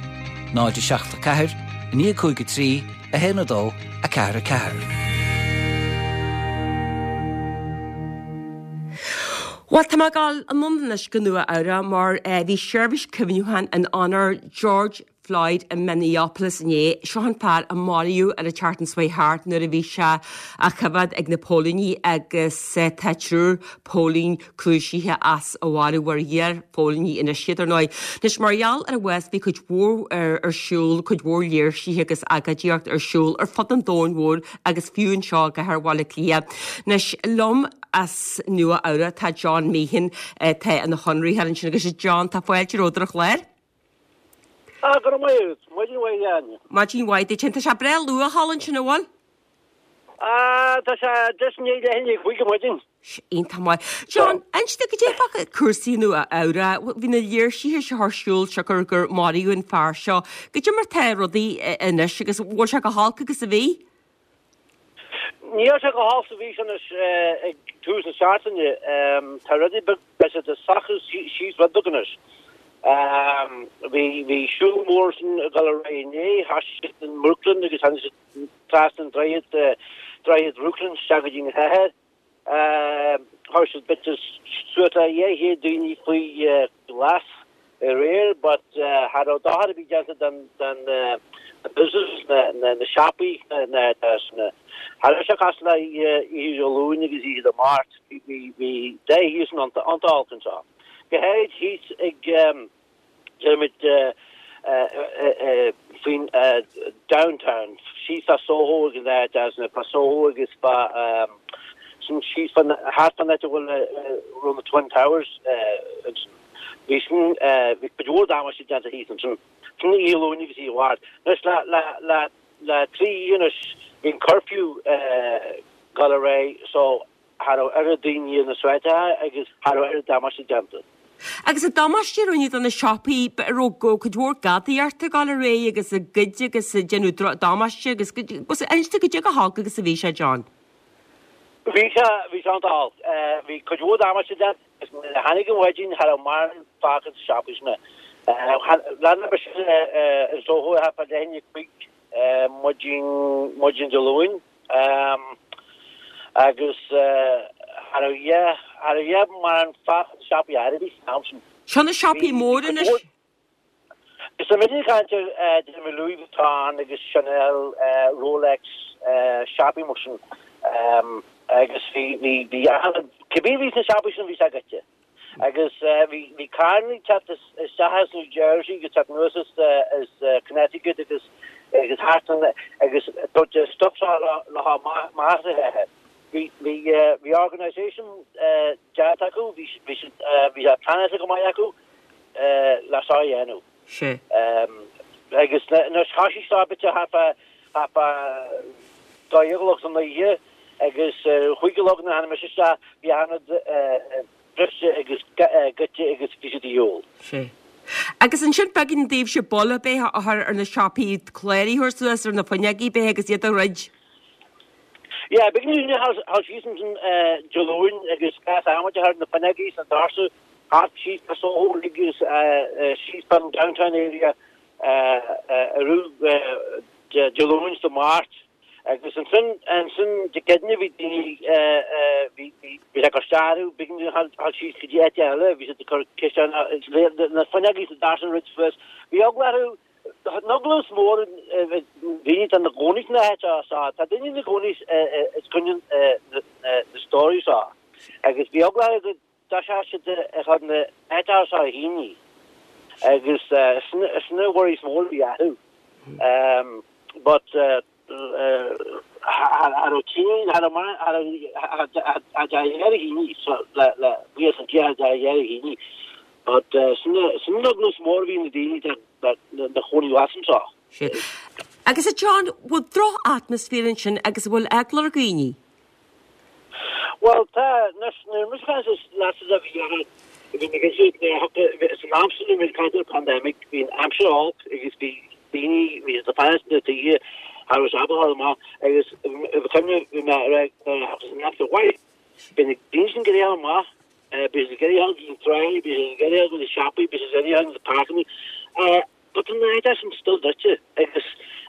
náid a seacht a ceathair, a naoi cúig a trí, a haon a dó, a ceathair a ceathair. Bhuel, tá mé ag dul anonn anois go Nua Eabhrac mar bhí seirbhís cuimhneacháin in onóir George Floyd i Minneapolis inné. Seo an fear a maraíodh ar an tseachtain seo thart nuair a bhí sé á choimhéad ag na póilíní agus tá triúr póilín cúisithe as a mharú mar iar-phóilíní anois iad ar ndóigh. Anois mar gheall ar a bhás bhí cuid mhór ar siúl, cuid mhór léirsithe agus agóidíocht ar siúl ar fud an domhain mhóir agus fiú anseo i gcathair Bhaile Átha Cliath. Anois liom as Nua Eabhrac tá John Meehan atá ina chonraitheoir ansin agus John tá fáilte romhat ar an chlár. Ah, go raibh maith agat. Maidin mhaith a Áine. Maidin mhaith duit. Tá sé breá luath thall ansin, an bhfuil? Ah, tá sé deich i ndiaidh leath i ndiaidh a cúig ar maidin. Iontach maith. John, inis dom goidé fá cúrsaí i Nua Eabhrac. Bhí na léirsithe seo ar siúl siocair gur maraíodh an fear seo. Goidé mar tá rudaí anois agus bhfuil sé chomh holc agus a bhí? Níl sé chomh holc is a bhí sé anois ag tús na seachtaine. Tá rudaí beag, tá siad ag socrú síos rud beag anois. Bhí bhí siúl mór sin ag dul ar aghaidh inné, thoisigh siad in mBrooklyn agus tháinig siad trasna an droichead, droichead Bhrooklyn isteach go dtí an chathair. Chuir siad b'fhéidir suas le dhá chéad daoine faoi ghlas aréir but cha raibh dochar ar bith déanta don don na businesses, na na na siopaí, na na na cha raibh sé cosúil le oíche Dé Luain agus oíche Dé Máirt, bhí bhí bhí dath thíos iontach olc anseo. Go háirid thíos ag déarfaimid faoin downtown, síos fá Soho ag an áit as na fá Soho agus fá sin síos fá thart fán áit a bhfuil raibh na Twin Towers ansin. Bhí sin bhí cuid mhór damáiste déanta thíos ansin. Sin Oíche Luain agus Oíche Mháirt. Anois le le le le trí oíche anois bhí an curfew ag dul ar aghaidh so cha raibh oiread daoine ar na sráideacha agus cha raibh oiread damáiste déanta. Agus an damáiste a rinneadh do na siopaí, an raibh cuid mhór gadaíochta ag dul ar aghaidh agus ag goid agus ag déanamh damáiste agus inis dom goidé chomh holc agus a bhí sé, John. Bhí sé, bhí sé iontach olc. Bhí cuid mhór damáiste déanta agus nuair a tháinig an mhaidin cha raibh mórán fágtha sna siopaí sin. Lean mé sin i Soho thart fá leath i ndiaidh a cúig maidin, maidin Dé Luain. Agus cha raibh a cha raibh a mórán fágtha sna siopaí ar bith san am sin. Seo na siopaí móra anois. Is tá muid ag caint ar déarfaidh Louis Vuitton agus Chanel, Rolex, siopaí mar sin. Agus bhí bhí bhí cibé a bhí sna siopaí sin bhí sé goidte. Agus bhí bhí carranna ag teacht isteach as New Jersey agus teacht anuas as as Connecticut agus agus thart an agus tabhairt an stuff seo le le amach as an chathair. Bhí bhí bhí organisation déanta acu, bhí bhí siad bhí sé pleanáilte go maith acu le seo a dhéanamh. Sea. Agus anois thoisigh seo b'fhéidir thart fá thart fá dó dhéag a chlog san oíche agus a cúig a chlog nuair a tháinig mise isteach bhí achan rud briste agus goidte agus bhí siad a dhíol. Sea. Agus ansin b'éigean daoibhse buille ar bith a chur ar na siopaí, cláir a thabhairt suas ar na fuinneogaí b'fhéidir agus iad a dhruid. Yeah, b'éigean dúinne a dhul síos ansin Dé Luain agus gach adhmaid a chur ar na fuinneogaí sna doirse thart síos fá Soho agus síos fán downtown area arú Dé Luain is Dé Máirt agus ansin ansin Dé Céadaoine bhí daoine bhí bhí bhí sé ag cur isteach orthu b'éigean dúinn a dhul síos go dtí áit eile bhí siad ag cur ciseán na fuinneogaí sna doirse a dhruid suas bhí eagla orthu An eagla is mó ar dhaoine atá ina gcónaí sna háiteacha seo, tá daoine ina gcónaí os coinne na stóraí seo agus bhí eagla orthu go dtoiseodh siad ag cur na háiteacha seo a thine agus sin an worry is mó a bhí orthu. But cha raibh tine, cha raibh mar, cha raibh, cha raibh a thine le buíochas le Dia cha raibh a thine. But sin an eagla is mó a bhí na daoine ina gcónaí thuas anseo. Sea. Agus a John, bhfuil droch-atmaisféar ansin agus an bhfuil eagla ar dhaoine? Bhuel, tá, anois, nuair muid caint leatsa a bhí ann, bhí mé cinnte nuair a thiocfadh, san am sin nuair muid caint ar pandemic, bhí an aimsir olc agus bhí daoine, bhí siad ag fanacht sna tithe, cha raibh siad ábalta dul amach agus cuimhne, bhí mé ar nuair a thiocfadh an aimsir mhaith, bhí na daoine sin ag iarraidh dul amach, bhí siad ag iarraidh dul go dtí an trá, bhí siad ag iarraidh dul go dtí na siopaí, bhí siad ag iarraidh dul go dtí na páirceanna. But tá na háiteacha sin still druidte agus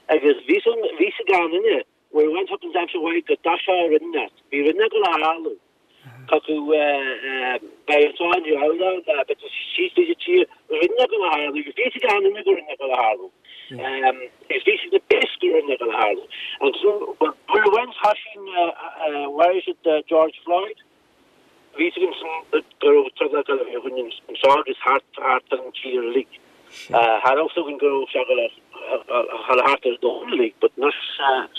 agus bhí san bhí sa gan duine where went up in aimsir mhaith go dtoiseodh rud inteacht. Bhí rud inteacht ag dul a tharlú. Chucu beidh an seo inniu ann ná beidh síos tríd an tír rud inteacht ag dul a tharlú agus bhí sa gan duine go rud inteacht ag dul a tharlú. Agus bhí siad na base go rud inteacht ag dul a tharlú. Agus where went thoisigh mharaigh siad George Floyd. Bhí fhios againn go raibh trioblóid ag dul a bheith againn anseo agus thart thart ar an tír uilig. Cha raibh fhios againn go raibh sé ag dul a dhul thart ar an domhan uilig but anois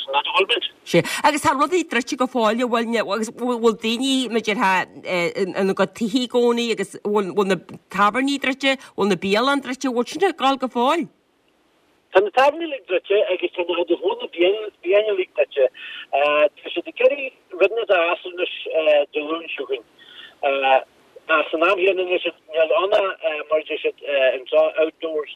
sin áit a bhfuil muid. Sea. Agus tá rudaí druidte go fóill, an bhfuil, agus bhfuil daoine, mar a déarfá, ina gcuid tithe i gcónaí agus bhfuil na tábhairní druidte, bhfuil na bialanna druidte, bhfuil sin ag dul go fóill? Tá na tábhairní uilig druidte agus tá na chuid is mó de na bialanna uilig druidte. Tá siad ag iarraidh rud inteacht a fhás anois Dé Luain seo chugainn. Ach san am chéanna anois níl ann ach mar a deir siad anseo outdoors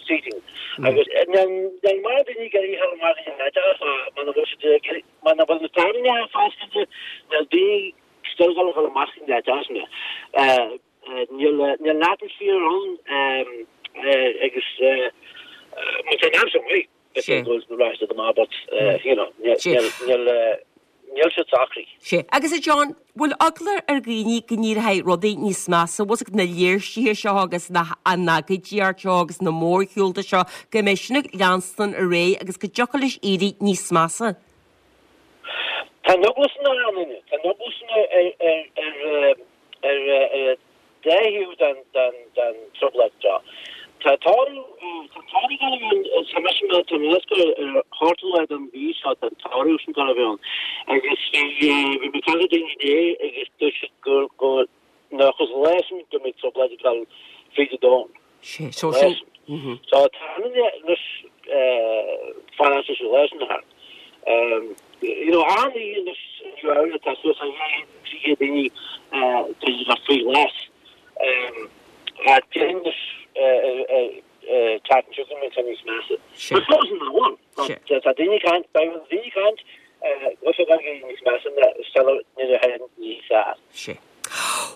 seating. Agus níl mórán daoine ag iarraidh a dhul amach go dtí na háiteacha muna bhfuil siad ag iarraidh, muna bhfuil na tábhairní foscailte níl daoine still ag dul a dhul amach go dtí na háiteacha sin. Níl an atmaisféar ann agus má tá an aimsir maith, beidh go raibh siad amach but you know níl níl siad socraithe. Sea. Agus a John, bhfuil eagla ar dhaoine go n-éireoidh rudaí níos measa, bhfuil fhios agat na léirsithe seo agus na an agóidíocht seo agus na mórshiúlta seo, go mbeidh sin ag leanstan ar aghaidh agus go dtiocfadh leis éirí níos measa? Tá an eagla sin ann, tá an eagla sin ar ar ar an dá thaobh den den trioblóid seo. Tá toradh tá toradh ag dul a bheith ann, tá mise mar tá mé ag ar an ochtú lá den mhí seo tá an toradh sin ag dul a bheith ann agus bhí bhí mé ag caint le daoine inné agus dúirt siad go go nach as an lá sin go mbeidh trioblóid ag dul fríd an domhan. Sé, so sin. So tá an anois fanacht leis an lá sin thart. You know, achan oíche anois i Nua Eabhrac tá suas le dhá chéad, trí chéad daoine tá siad ag faoi ghlas. Ach déarfainn anois teacht anseo go mbeidh sé níos measa. But fós in ann. Tá daoine ag caint, beidh daoine ag caint go bhfuil sé ag dul níos measa ná sula nuair a théann níos fearr. Sea.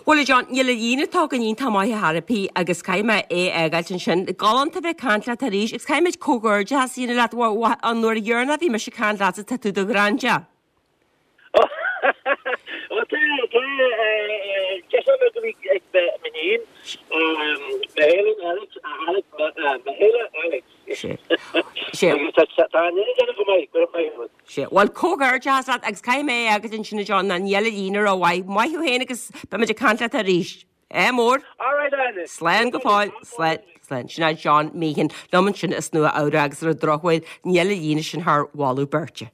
Bhuel, a John, níl an líne atá againn iontach maith ar chor ar bith agus caithfidh mé é a fhágáilt ansin. Galánta bheith ag caint leat arís agus caithfidh muid comhghairdeachas a dhéanamh leat. An uair dheireanach a bhí mise ag caint leatsa tá tú i do ghrandia. Bhuel, tá, tá, deis agam go bhí ag m'iníon, Helen, Alex, Alex, Michaela, Alex. Sea. Sea. Agus tá, tá an duine déanamh go maith, go raibh maith agat. Sea. Bhuel, comhghairdeachas leat agus caithfidh mé é a fhágáilt ansin a John ná níl an líne rómhaith. Maith thú féin agus beimid ag caint leat arís. Ádh mór. All right, Áine. Slán go fóill. Slán. Slán. Sin é John Meehan liom ansin as Nua Eabhrac agus ar an drochuair níl an líne sin thar mholadh beirte.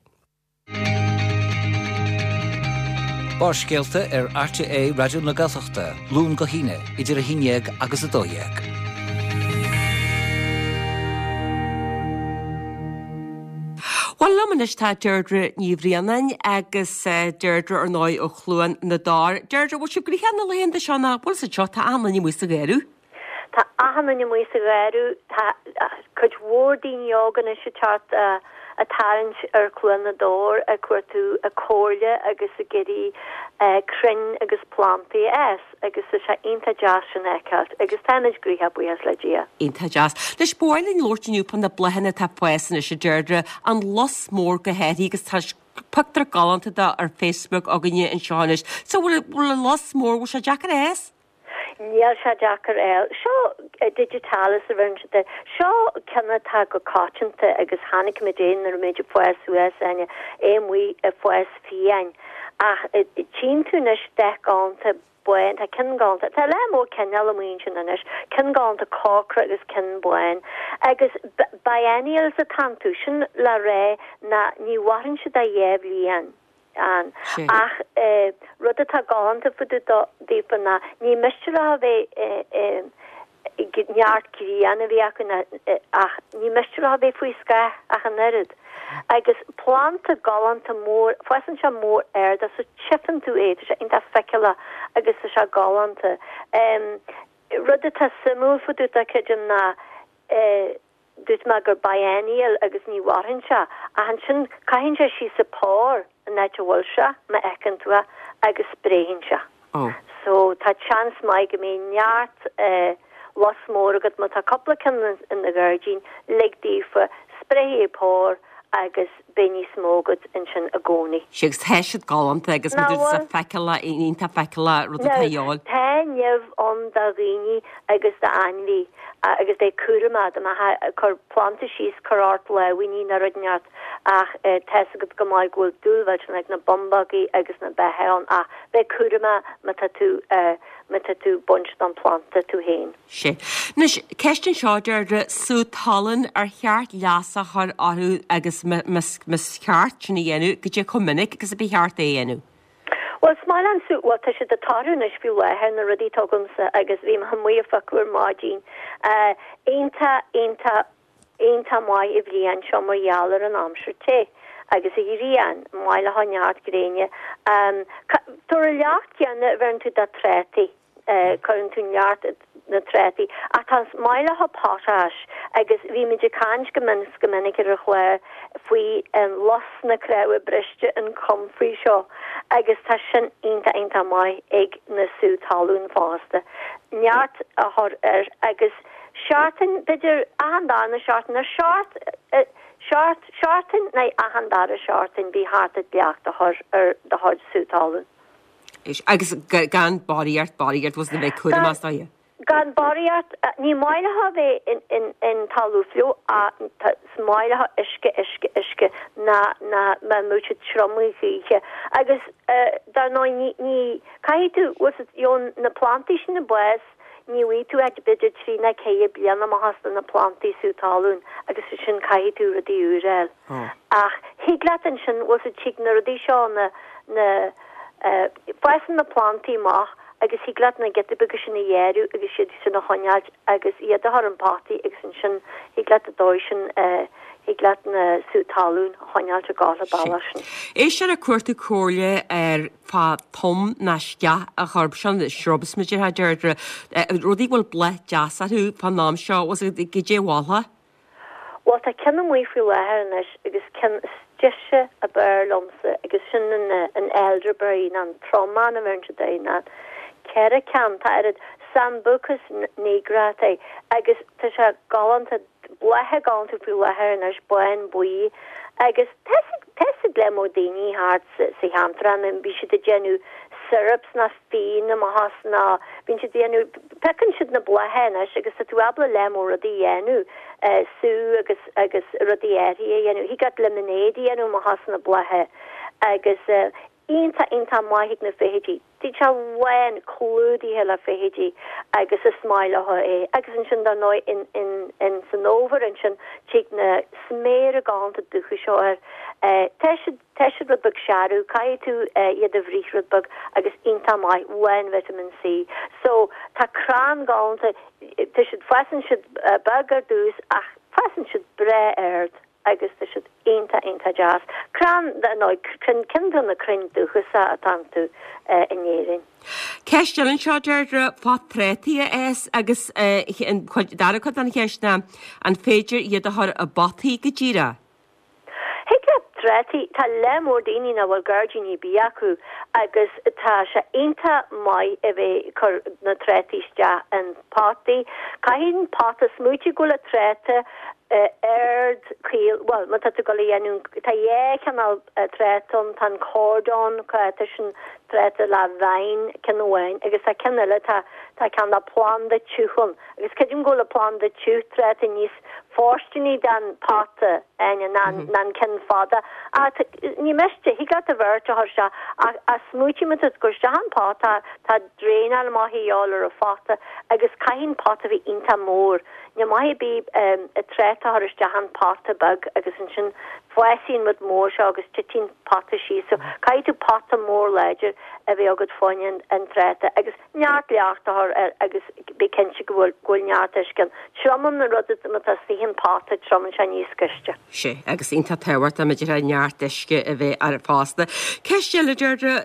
Barrscéalta ar RTÉ Raidió na Gaeltachta, Luan go hAoine, idir a haon déag agus a dó dhéag. Bhuel, liom anois tá Deirdre Ní Bhraonáin agus Deirdre ar ndóigh ó Chluain na dTor. Deirdre, bhfuil sibh gnoitheach na laethanta seo nó bhfuil sa seo tá achan duine amuigh sa gheimhreadh? Tá achan duine amuigh sa gheimhreadh. Tá cuid mhór daoine óga anois ag teacht ag tarraingt ar Chluain na dTor ag cuartú comhairle agus ag iarraidh crainn agus plantaí a fhás agus tá sé iontach deas sin a fheiceáilt agus táimid gnoitheach buíochas le Dia. Iontach deas. Anois ba mhaith linn labhairt inniu fá na bláthanna atá ag fás anois a Deirdre, an lus mór go háirithe agus tá pictiúr galánta de ar Facebook againne anseo anois. So bhfuil bhfuil an lus mór, bhfuil sé deacair a fhás? Níl sé deacair a fháil. Seo digitalis a bheireann siad air. Seo ceann atá go coitianta agus chonaic muid é nuair a bhí muid ag fás suas, Áine, é amuigh ag fás fiáin. Ach tchíonn tú anois dath galánta bán, tá ceann galánta, tá lear mór cineál amuigh ansin anois, ceann galánta corcra agus ceann bán. Agus biennials atá iontu, sin le rá ná ní mhaireann siad ach dhá bhliain. ann. Ach rud atá galánta fá dtaobh daofa ná ní miste leo a bheith Neart grian a bhí acu ach ní miste leo a bheith faoi scáth ach an oiread. Agus planda galánta mór, fásann sé mór ard so tchífeann tú é, tá sé iontach feiceálach agus tá sé galánta. Rud atá suimiúil fá dtaobh de creidim ná dúirt mé gur biennial agus ní mhaireann sé ach ansin caitheann sé síos a phár an áit a bhfuil sé, má fheiceann tú é, agus spréann sé. So tá seans maith go mbeidh neart lus mór agat má tá cúpla ceann in do ghairdín, lig daofa, spréifidh a bpár agus beidh níos mó agat ansin i gcónaí. Sea, agus tá siad galánta agus Nach bhfuil? feiceálach, iontach feiceálach rud atá a dhíobháil. Tá nimh ann do dhaoine agus d'ainmhí agus bheith cúramach dá mbeifeá ag cur planda síos, cuir ort lámhainní nó rud inteacht ach tá's agat go maith go bhfuil dúil mhillteanach ag na bumbógaí agus na beithe ann ach bheith cúramach má tá tú má tá tú ag baint don phlanda tú féin. Sea. Anois, ceist anseo Deirdre, sú talún ar cheart leasú a chur orthu agus más ceart sin a dhéanamh, goidé chomh minic agus a ba cheart é a dhéanamh? Bhuel, is maith liom sú, bhuel tá siad ag toradh anois faoi láthair na rudaí atá agamsa agus bhí mé amuigh ag phiocadh ar maidin. Iontach, iontach, iontach maith an bhliain seo mar gheall ar an aimsir te agus an ghrian, maith le neart gréine. Tabhair an leacht céanna a bheireann tú do trátaí. Cuireann tú neart na trátaí ach tá is maith leo potash agus bhí muid ag caint go min go minic ar an chlár faoi an lus na cnámha briste an comfrey seo agus tá sin iontach iontach maith ag na sú talún fosta. Neart a chur air agus seachtain b'fhéidir achan darna seachtain ar seacht seacht seachtain nó achan dara seachtain bí thart ag leacht a chur ar do chuid sú talún. Agus gan barraíocht barraíocht was na bheith cúramach as dóigh. Gan barraíocht, ní maith leo a bheith in in in talamh fliuch ach is maith leo uisce uisce uisce ná ná má mbeadh siad triomaithe choíche. Agus dar ndóigh ní ní caithfidh tú bhfuil fhios agat you know na plantaí sin ag fás ní bhfaighidh tú ach b'fhéidir trí nó ceithre bliana amach as na plantaí sú talún agus ansin caithfidh tú rudaí úr a fháil. Ach thig leat ansin bhfuil fhios agat tig na rudaí seo na na Fásann na plantaí amach agus thig leat na giotaí beaga sin a ghearradh agus iad sin a choinneáilt agus iad a chur in potaí agus ansin thig leat an dóigh sin thig leat na sú talún a choinneáilt ag gabháil an bealach sin. Éisteoir ag cuartú comhairle ar fá tom ná sceach a chur, seo na shrubs mar a déarfá Deirdre, rudaí a bhfuil bláth deas orthu fán am seo, goidé a mholfá? Bhuel, tá ceann amuigh faoi láthair anois agus ceann is deise ab fhearr liomsa agus sin an an elderberry nó an tromán a bheireann siad air ná ceithre ceann, tá oiread Sambucus nigra é agus tá sé galánta, blátha galánta faoi láthair anois, bán buí agus tá tá a fhios ag leath mór daoine thart sa sa cheantar ann, bhí siad ag déanamh syrups ná fíon amach as ná bíonn siad ag déanamh, piocann siad na blátha anois agus tá tú ábalta leath mór rudaí a dhéanamh, sú agus agus rudaí áirithe a dhéanamh. Thig leat lemonade a dhéanamh amach as na blátha agus iontach iontach maith ag na feithidí. Tá sé lán clúdaithe le feithidí agus is maith leo é. Agus ansin dar ndóigh in in in san fhómhar ansin tig na sméara galánta dubha seo air. Tá siad Tá siad rud beag searbh, caithfidh tú iad a bhruith rud beag agus iontach maith, lán vitamin C. So, tá crann galánta, tá siad, fásann siad beag ar dtús ach fásann siad breá ard agus tá siad iontach, iontach deas. Crann, nó ceann de na crainn dúchasacha atá iontu in Éirinn. Ceist eile anseo, Deirdre, fá trátaí a fhás agus an dara cuid den cheist ná an féidir iad a chur i bpotaí go díreach? Thig leat trátaí, tá leath mór daoine nach bhfuil gairdín ar bith acu agus tá sé iontach maith a bheith ag cur na trátaí isteach in potaí. Caithfidh an pota, smaoitigh go bhfuil an tráta ard caol, bhuel má tá tú ag dul a dhéanamh, tá dhá chineál tráta ann, tá an cordon, tá sin tráta le vine ceann amháin agus tá ceann eile, tá tá ceann le planda tiubh ann agus creidim go bhfuil an planda tiubh tráta níos fóirsteanaí don pota ná ná an ceann fada. Ach ní miste, thig leat an bheirt a chur isteach ach ach smaoitigh má tá tú ag cur isteach an pota tá draenáil maith a dhíobháil ar an phota agus caithfidh an pota bheith iontach mór. Ní maith ar bith an tráta a chur isteach an pota beag agus ansin fásann an rud mór seo agus titeann pota síos. So caithfidh tú pota mór láidir a bheith agat fá choinne an tráta agus neart leacht a chur air agus bí cinnte go bhfuil go bhfuil neart uisce ann. Triomaíonn an rud má tá istigh an pota triomaíonn sé níos gaiste. Sé, agus iontach tábhachtach maidir le neart uisce a bheith air fosta. Ceist eile Deirdre,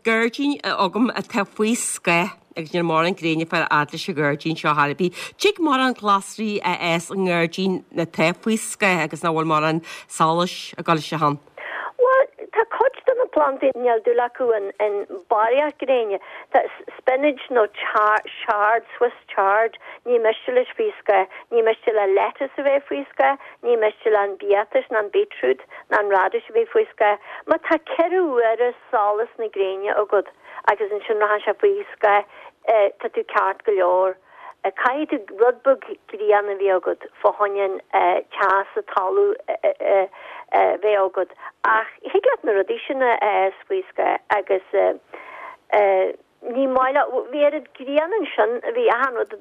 gairdín agam atá faoi scáth agus níl mórán gréine ag fáil a fhad leis an ghairdín seo chor ar bith. Tig mórán glasraí a fhás i ngairdín atá faoi scáth agus nach bhfuil mórán solais ag dul isteach ann. Bhuel, tá cuid de na plandaí níl dúil acu in, in barraíocht gréine. Tá spinach nó char, chard, Swiss chard, ní miste leis faoi scáth, ní miste le lettuce a bheith faoi scáth, ní miste le an biatas ná an beetroot ná an radish a bheith faoi scáth. Má tá ceithre uaire solas na gréine agat agus ansin rachann sé faoi scáth, eh, tá tú ceart go leor. Eh, caithfidh tú rud beag grian a bheith agat fá choinne eh, teas sa talamh eh, eh, eh, bheith agat. Ach thig leat na rudaí sin a fhás faoi scáth agus eh, eh, ní maith le bhí oiread grian ansin bhí achan rud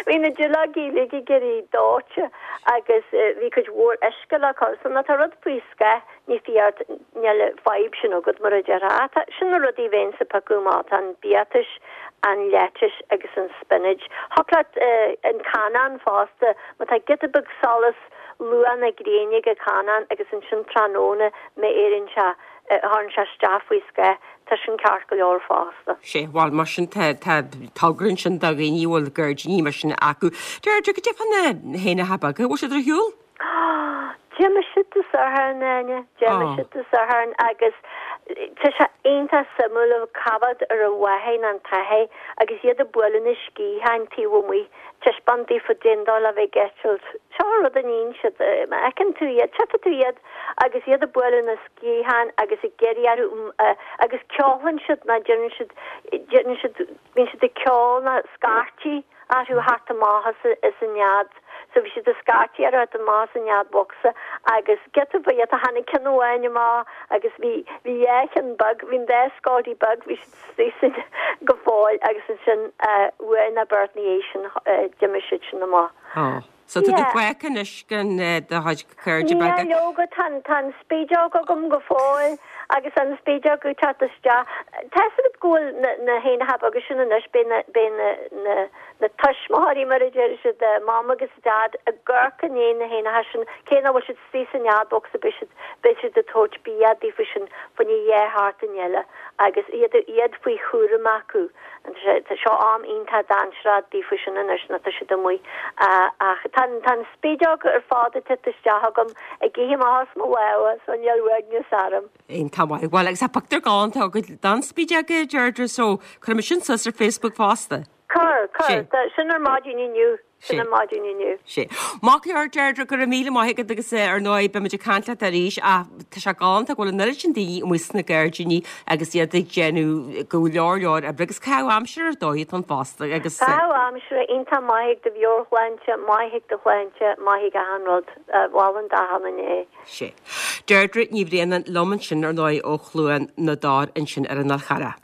bhí na duilleogaí uilig ag éirí dóite agus eh, bhí cuid mhór uisce le cur so má tá rud faoi scáth ní fíor níl fadhb sin agat mar a déarfá. Tá sin na rudaí bheinn ag piocadh amach tá an biatas, an lettuce agus an spinach. Thig leat uh, an canán fosta, má tá giota beag solas luath na gréine ag canán agus ansin tráthnóna má éiríonn sé thagann sé isteach faoi scáth, tá sin ceart go leor fosta. Sé bhuel mar sin tá tá togra sin do dhaoine a bhfuil gairdíní mar sin acu. Deirdre cad é fá na héanacha beaga, bhfuil siad ar shiúl? D'imigh siad Dé Sathairn Áine, d'imigh Oh. siad Dé Sathairn agus tá sé iontach suimiúil a coimhéad ar a mháthair an t-athair agus iad ag bualadh na sciatháin taobh amuigh taispeáint daofa cén dóigh le bheith ag eitilt. Seo rud a níonn siad má fheiceann tú iad, tchífidh tú iad agus iad ag bualadh na sciatháin agus ag iarraidh orthu uh, agus ceolann siad ná déanann siad déanann siad bíonn siad ag ceol ná scairtigh orthu thart amach as as an nead. So bhí siad ag scairtigh orthu thart amach as an nead bocsa agus giota ba iad a tháinig ceann amháin amach agus bhí bhí dhá cheann beag, bhí an dá scáilí beag, bhí siad istigh sin go fóill agus ansin uh, uair nó beirt ina dhiaidh sin uh, d'imigh siad sin amach. Oh. So tá tú Yeah. fágtha anois gan eh, do chuid cairde Ní beaga. leoga tá tá an spideog agam go fóill agus an spideog ag teacht isteach. Tá go bhfuil na na héanacha agus sin anois bíonn na bíonn na na na tuismitheoirí mar a deir siad eh, mam agus dad ag amharc i ndiaidh na héanacha sin cé nach bhfuil siad istigh sa nead bocsa beidh siad beidh siad ag tabhairt bia daofa sin faoin dhá sheachtain eile agus iad iad faoi chúram acu. An tá seo am iontach dainséarach daofa sin anois na tá siad amuigh uh, ach tá tá an spideog ar fad ag teacht isteach agam ag ithe amach as mo lámha so níl uaigneas orm. Iontach maith. Bhuel agus tá pictiúr galánta agat den spideog Deirdre so cuirfidh mé sin suas ar Facebook fosta. Cuir Sé. cuir sin ar maidin inniu sin Sé. ar maidin inniu. Sé. Maith go leor Deirdre go raibh míle maith agat agus eh, ar ndóigh beimid ag caint leat arís ach tá sé galánta go bhfuil an oiread sin daoine amuigh sna gairdíní agus iad ag déanamh go leor leor oibre agus caitheamh aimsire ar dóigh an fosta agus eh, Tá aimsire iontach maith do mheabhairshláinte, maith do shláinte, maith achan rud mholfainn d'achan duine é. sé. Deirdre Ní Bhraonáin liom ansin ar ndóigh ó Chluain na dTor ansin ar an Fhál Charrach.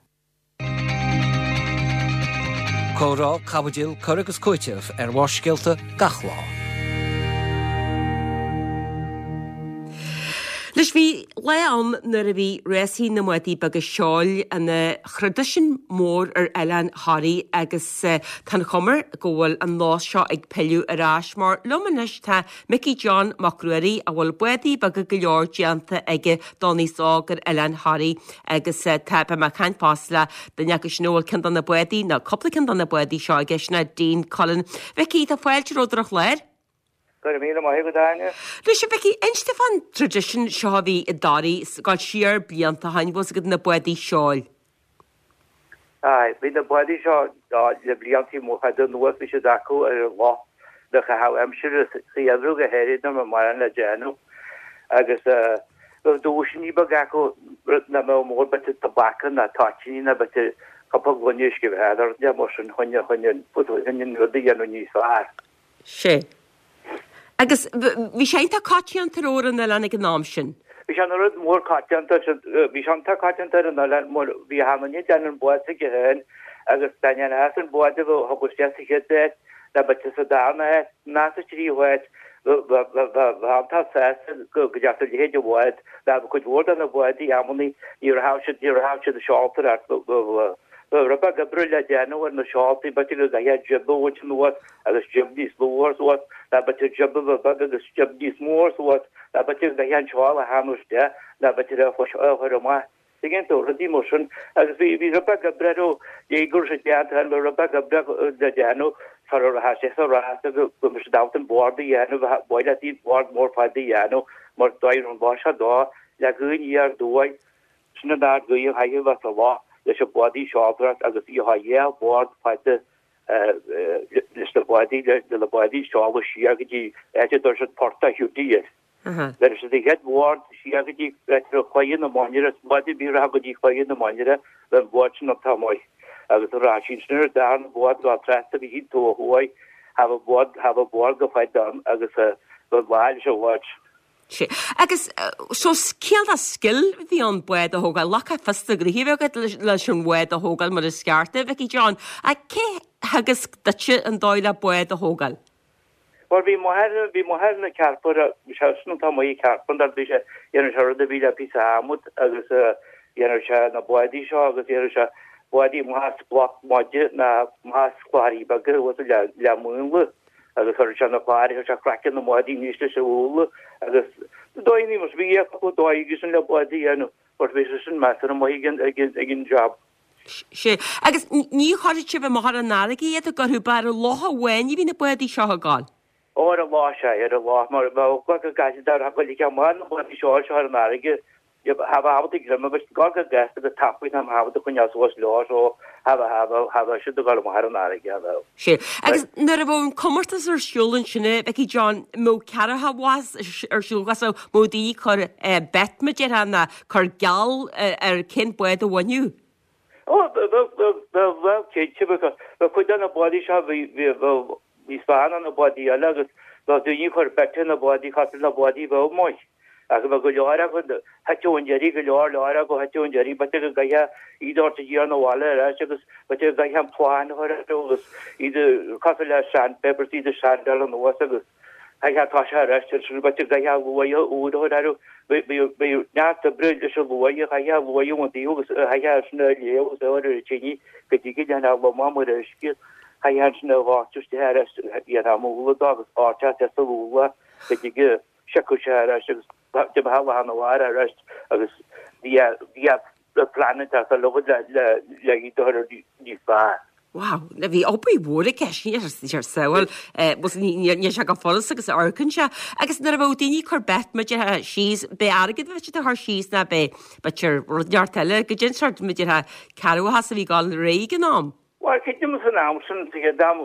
Comhrá caibidil cur agus cúiteamh ar Bharrscéalta gach lá. Anois bhí lá ann nuair a bhí rásaí na mbádaí beaga seoil ina thraidisiún mór ar oileán Thoraí agus eh, tá an chuma go bhfuil an nós seo ag pilleadh ar ais mar liom anois tá Mickey John Mac Ruairí a bhfuil bádaí beaga go leor déanta aige don aos óg ar oileán Thoraí agus eh, tá beidh mé ag caint fosta le duine acu sin a bhfuil ceann de na bádaí nó cúpla ceann de na bádaí seo aige sin Dean Cullen. Vicky tá fáilte romhat ar an chlár? Go raibh míle maith agat Áine. Anois Vicky inis domh fán traidisiún seo a bhí i dToraigh ag dul siar blianta ó shin bhfuil agat na bádaí seoil. Ai, bhí na bádaí seo le blianta mór fada anuas bhí siad acu ar an lá le caitheamh aimsire sa gheimhreadh go háirithe nuair mórán le déanamh agus bheadh duaiseanna beaga acu na mbeadh mór b'fhéidir tobac ná toitíní ná b'fhéidir cúpla gloine uisce bheatha mar sin chun chun chun an rud a dhéanamh níos fearr. Sé. Agus bhí sé iontach coitianta ar an oileán ag an am sin. Bhí sé rud mór coitianta bhí sé iontach coitianta ar an oileán mór bhí achan duine ag déanamh an bád s'aige féin agus an bád a thugadh sé sa chéad Nó b'fhéidir sa darna háit, ná sa tríú háit, bheadh iontach sásta go dteacht a leithéid de bhád, nó bheadh cuid mhór de na bádaí amannaí, ní raibh siad, ní raibh siad seolta ach bheadh rud beag oibre le déanamh ar na seoltaí, b'fhéidir go gcaithfeá jib a bhaint anuas agus jib níos lú a chur suas, nó b'fhéidir jib a bheith beag agus jib níos mó a chur suas, nó b'fhéidir go gcaithfeá an tseol a theannadh isteach, nó b'fhéidir a chur amach. Tuigeann tú, rudaí mar sin. Agus bhí, bhí rud beag oibre orthu, ní go raibh sé déanta ann, bhí rud beag oibre le déanamh sara raibh sé sa rás agus go mbeadh siad ábalta an bord a dhéanamh, ba mhaith leat iad bord mór fada a dhéanamh mar dóigh an lá seo dó, le gaoth aniar aduaidh, sin an ard gaoth a chaithfidh a bheith sa loch leis an bádaí seoltóireacht agus bhí dhá bhord fada leis na bádaí, le na bádaí seoladh siar go dtí áit a dtabharfadh siad Port a' Hiúdaí air. Bheir siad an chéad bhord siar go dtí áit a raibh Claidhe na Mainire, is bád ar bith a rachadh go dtí Claidhe na Mainire, bheadh an bord sin iontach maith. Agus a rachadh siad sin ar an darna bord go trasna go dtí an taobh thuaidh, tha bheadh bord, tha bheadh bord go fada ann agus bheadh lá leis an bhord. Sea. Agus so cineál de scil a bhí ann bád a thógáil, lucht fios a gnoithe a bheith agat leis an bhád a thógáil mar is ceart, a Mhicí John. Ach cé theagasc duitse an dóigh le bád a thógáil? Bhuel, bhí m'athair, bhí m'athair ina chearpantar, bhí sé sin iontach maith ag cearpantar, bhí sé, dhéanadh sé rud a bhí le píosa adhmad agus dhéanadh sé na bádaí seo agus dhéanadh sé bádaí amach as bloc maide ná amach as clochairí beaga thuas le, le múnla agus chuireadh sé na clochairí, chuir sé craiceann na mbádaí aníos leis an mhúnla agus dóigheanna mar bhí cúpla dóigh aige sin le bádaí a dhéanamh but bhí sé sin measartha maith ag an, ag an, ag an job. Sea, agus ní chuirfeadh sibh amach ar an fharraige iad ag orthu, ba ar an loch amháin a bhí na bádaí seo ag gabháil. Ó, ar an loch, sea, ar an loch, mar bheadh go gcaithfidh dar a ghoil amach na bádaí seo seo ar an fharraige, cha bheadh ábalta greim a bheith ag gabháil go gasta go tapaidh nach mbeadh ábalta coinneáil suas leo so cha bheadh, cha bheadh, cha bheadh siad ag gabháil amach ar an fharraige, cha bheadh. Sea, agus nuair a bheadh an comórtas ar siúl ansin, a Mhicí John, mbeadh ceathracha mhaith ar siúl, so mbeadh daoine ag cur bet, mar a déarfá, ná cur geall ar cén bád a bhainfeadh. Ó, bheadh, cinnte, bheadh cuid de na bádaí seo, bhí, bheadh níos fearr ná na bádaí eile agus bheadh daoine ag cur bet ar na bádaí, cosúil na bádaí a bheadh maith. Ach bheadh go leor acu, thiteadh an deiridh, go leor leor acu, thiteadh an deiridh, b'fhéidir go gcaithfeá iad a thabhairt aniar 'na bhaile ar ais agus b'fhéidir go gcaithfeá an plane a chur orthu agus iad cosúil le sandpaper, iad a sandáil anuas agus Chaithfeá toiseacht ar ais ar sin, b'fhéidir go gcaithfeá luaidhe úr a chur orthu. Bhí neart oibre leis an luaidhe, chaithfeá luaidhe ón taobh agus chaithfeá sin a léamh agus a chur ar an tine go dtí go ndéanfá lomán mar uisce. Chaithfeá ansin a dhoirteadh isteach ar ais, dhéanfá múnla dó agus dhoirteadh isteach sa mhúnla go dtí go siocfadh sé ar ais agus d'imeodh lá na mhara ar ais agus bhí plean ag teastáil uait le le iad a chur níos fearr. Wow, bhí obair mhór i gceist ar samhail, níl sé go follas agus amharcann sé. Agus nuair a bheadh daoine ag cur bet mar a déarfá síos, b'é airgead a bheadh siad a chur síos ná b'é b'fhéidir rud neart eile, goidé an sórt mar a déarfá cearrbhachas a bhí ag dul ar aghaidh ag an am. Bhuel, creidim san am sin, bhí siad ag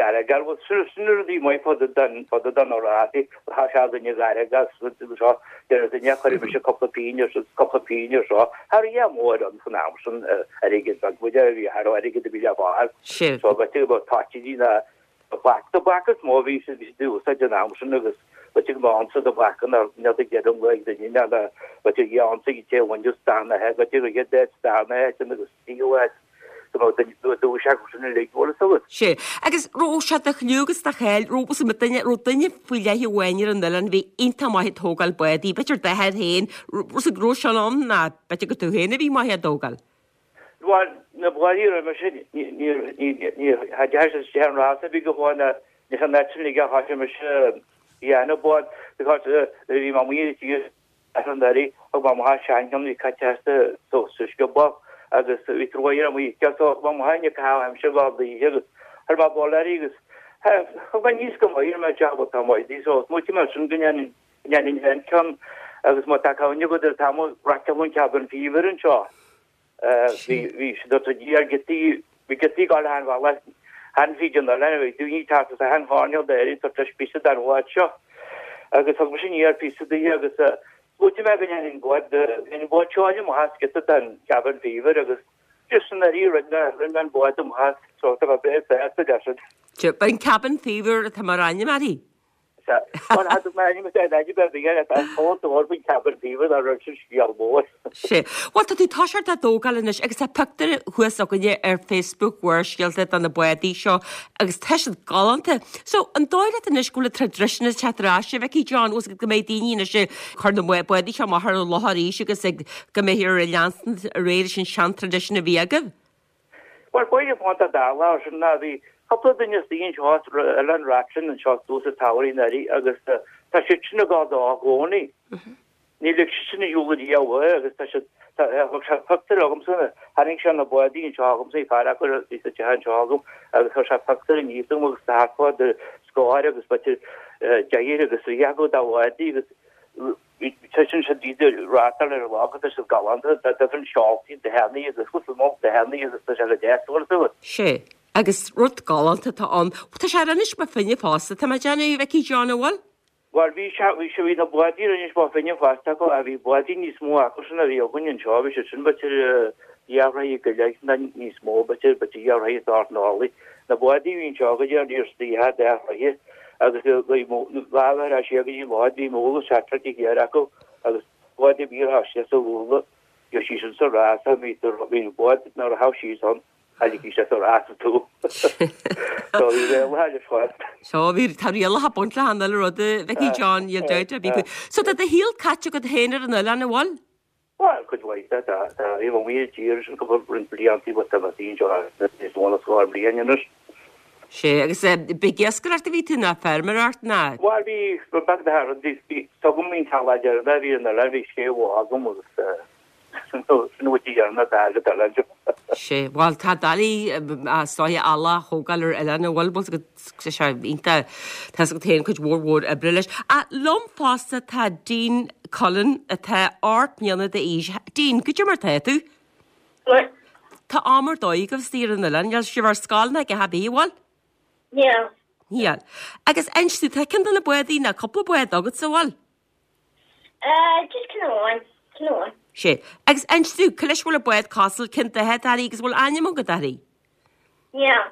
airgead, bhuel sin sin na rudaí maith fá dtaobh den fá dtaobh de na rásaí, tá sé againn ag airgead agus seo, deir duine chuir mise cúpla pingin ar cúpla pingin ar seo, cha raibh a dhath mór ann san am sin airgead beag muide a bhí cha raibh airgead a bhí le fáil. So b'fhéidir go mbeadh toitíní ná tobac tobac is mó a bhí siad bhí siad ag úsáid an am sin agus b'fhéidir go mbeadh unsa tobac ann ar níl ag deireadh an lae ag duine ná b'fhéidir dhá unsa ag an té a bhain just darna b'fhéidir go gcéad darna áit agus tríú háit. Sea. Agus raibh sé de chliú agus de cháil, raibh duine, raibh duine faoi leith amháin ar an oileán a bhí iontach maith ag tógáil bádaí, b'fhéidir d'athair féin, raibh raibh sin ann ná b'fhéidir gur tú féin a bhí maith á dtógáil? Bhuel, na bádaí roimhe sin, ní, ní, ní, ní, cha dteachaigh siad isteach an rás a bhí go fóill ná ní san áit sin ag a thoisigh mise a dhéanamh bád because bhí mé amuigh ar an tír Ar an deireadh, thug mo mháthair seancheann a bhí caite as sa sciobóg agus bhí truaí ar an muice so thug mo mháthair ag caitheamh aimsire lá d'oíche agus chuir mé buille uirthi agus thug mé aníos go maith ar mé jab atá maith di so smaoitigh mé ansin go ndéanfainn féin ceann agus má tá cuimhne agat ar an t-am a raiceáladh an Cabin Fever anseo. Bhí bhí siad ag tabhairt ar giotaí bhí giotaí ag dul achan bhealach achan fríd an oileán bhí daoine ag teacht as achan choirnéal d'Éirinn ag tabhairt píosa den bhád seo agus thug mise aniar píosa di agus smaoitigh mé go ndéanfainn bád go ndéanfainn bád seoil amach as giota den Cabin Fever agus just san airí rinne rinne mé an bád amach as so tá mé breá sásta leis. B'in Cabin Fever atá mar ainm uirthi? Bhuel, tha tú mé ainm is é ainm ar bith air, tá fós do bhur faoin cabin fever dá raibh sin scéal mór. Sé. Bhuel, tá tú toiseacht á dtógáil anois agus tá pictiúr thuas againne ar Facebook Bharrscéalta de na bádaí seo agus tá siad galánta. So, an dóigh leat anois go bhfuil an traidisiún ag teacht ar ais, a Mhicí John, bhfuil go mbeidh daoine anois ag cur na bádaí seo amach ar an loch arís agus ag go mbeidh ar leanstan ar aghaidh leis an seantraidisiún a bhí agaibh? Bhuel, b'fhéidir fán tá dála ar sin ná bhí cúpla duine istigh anseo as Oileán Rathlin anseo suas an tsamhraidh anuraidh agus tá siad sin ag gabháil dó i gcónaí. Ní lig siad sin a shiúl ariamh uaidh agus tá siad, tá, thug sé pictiúr agamsa, tharraing sé na bádaí anseo agamsa, bhí fear acu a bhí sa teach anseo agam agus chuir sé pictiúr aníos agam agus tá thart fá scór agus b'fhéidir deich agus trí acu de bhádaí agus Tuiseann siad iad ag reáchtáil ar an lá agus tá siad galánta, tá different seoltaí dathannaí agus cúpla mór dathannaí agus tá sé go deas orthu. Sé, agus rud galánta atá ann. Tá sé ar Inis Bó Finne fosta, tá mé ag déanamh, a Mhicí John, an bhfuil? Bhuel, bhí sé, bhí sé, bhí na bádaí ar Inis Bó Finne fosta acu ach bhí bádaí níos mó acu sin a bhí againn anseo, bhí siad sin b'fhéidir dhá throigh go leith nó níos mó, b'fhéidir, b'fhéidir dhá throigh is ocht n-orlaí. Na bádaí a bhí anseo go dtí ar níor dhá throigh agus bhí dhá bheith ar sé go dtí lá bhí múla seachtar de ghéar acu agus bád a bhí ar sé sa mhúla bhí sí sin sa rás a bhí bhí bád nuair a thabh sí ann tháinig sí sa rás tú. So bhí rialacha leis fad. So bhí tá rialacha ag baint le achan uile rud a Mhicí John níl dabht ar bith faoi. So tá do shaol caite agat féin ar an oileán an bhfuil? Bhuel, cuid mhaith de, tá, tá, bhí mo mhíle tír sin cúpla roinnt blianta but tá mé féin seo níos mó ná scór bliain anois. Sé, agus b'é ag iascaireacht a bhí tú ná feirmeoireacht ná? Bhuel, bhí, rud beag de thar, bhí, bhí, tugaim an teaghlach deireanach a bhí ar an oileán, bhí sé bhó agam agus sin an rud deireanach atá agat ar oileán. Sé, bhuel, tá doiligh is dóiche eallach a thógáil ar oileán an bhfuil, bhfuil go, tá sé iontach, tá fhios agat féin cuid mhór mhór oibre leis. Ach liom fosta tá Dean Cullen atá ocht mbliana d'aois. Dean, goidé mar tá tú? Maith. Tá am ar dóigh agaibh istigh ar an oileán, níl sibh ar scoil ná a dhath ar bith, an bhfuil? Níl. Níl. Agus inis domh, tá ceann de na bádaí ná cúpla bád agatsa, an bhfuil? Eh, just ceann amháin, ceann amháin. Sé. Agus inis domh, cá leis a bhfuil an bád cosúil, cén dath atá uirthi agus an bhfuil ainm agat uirthi? Níl.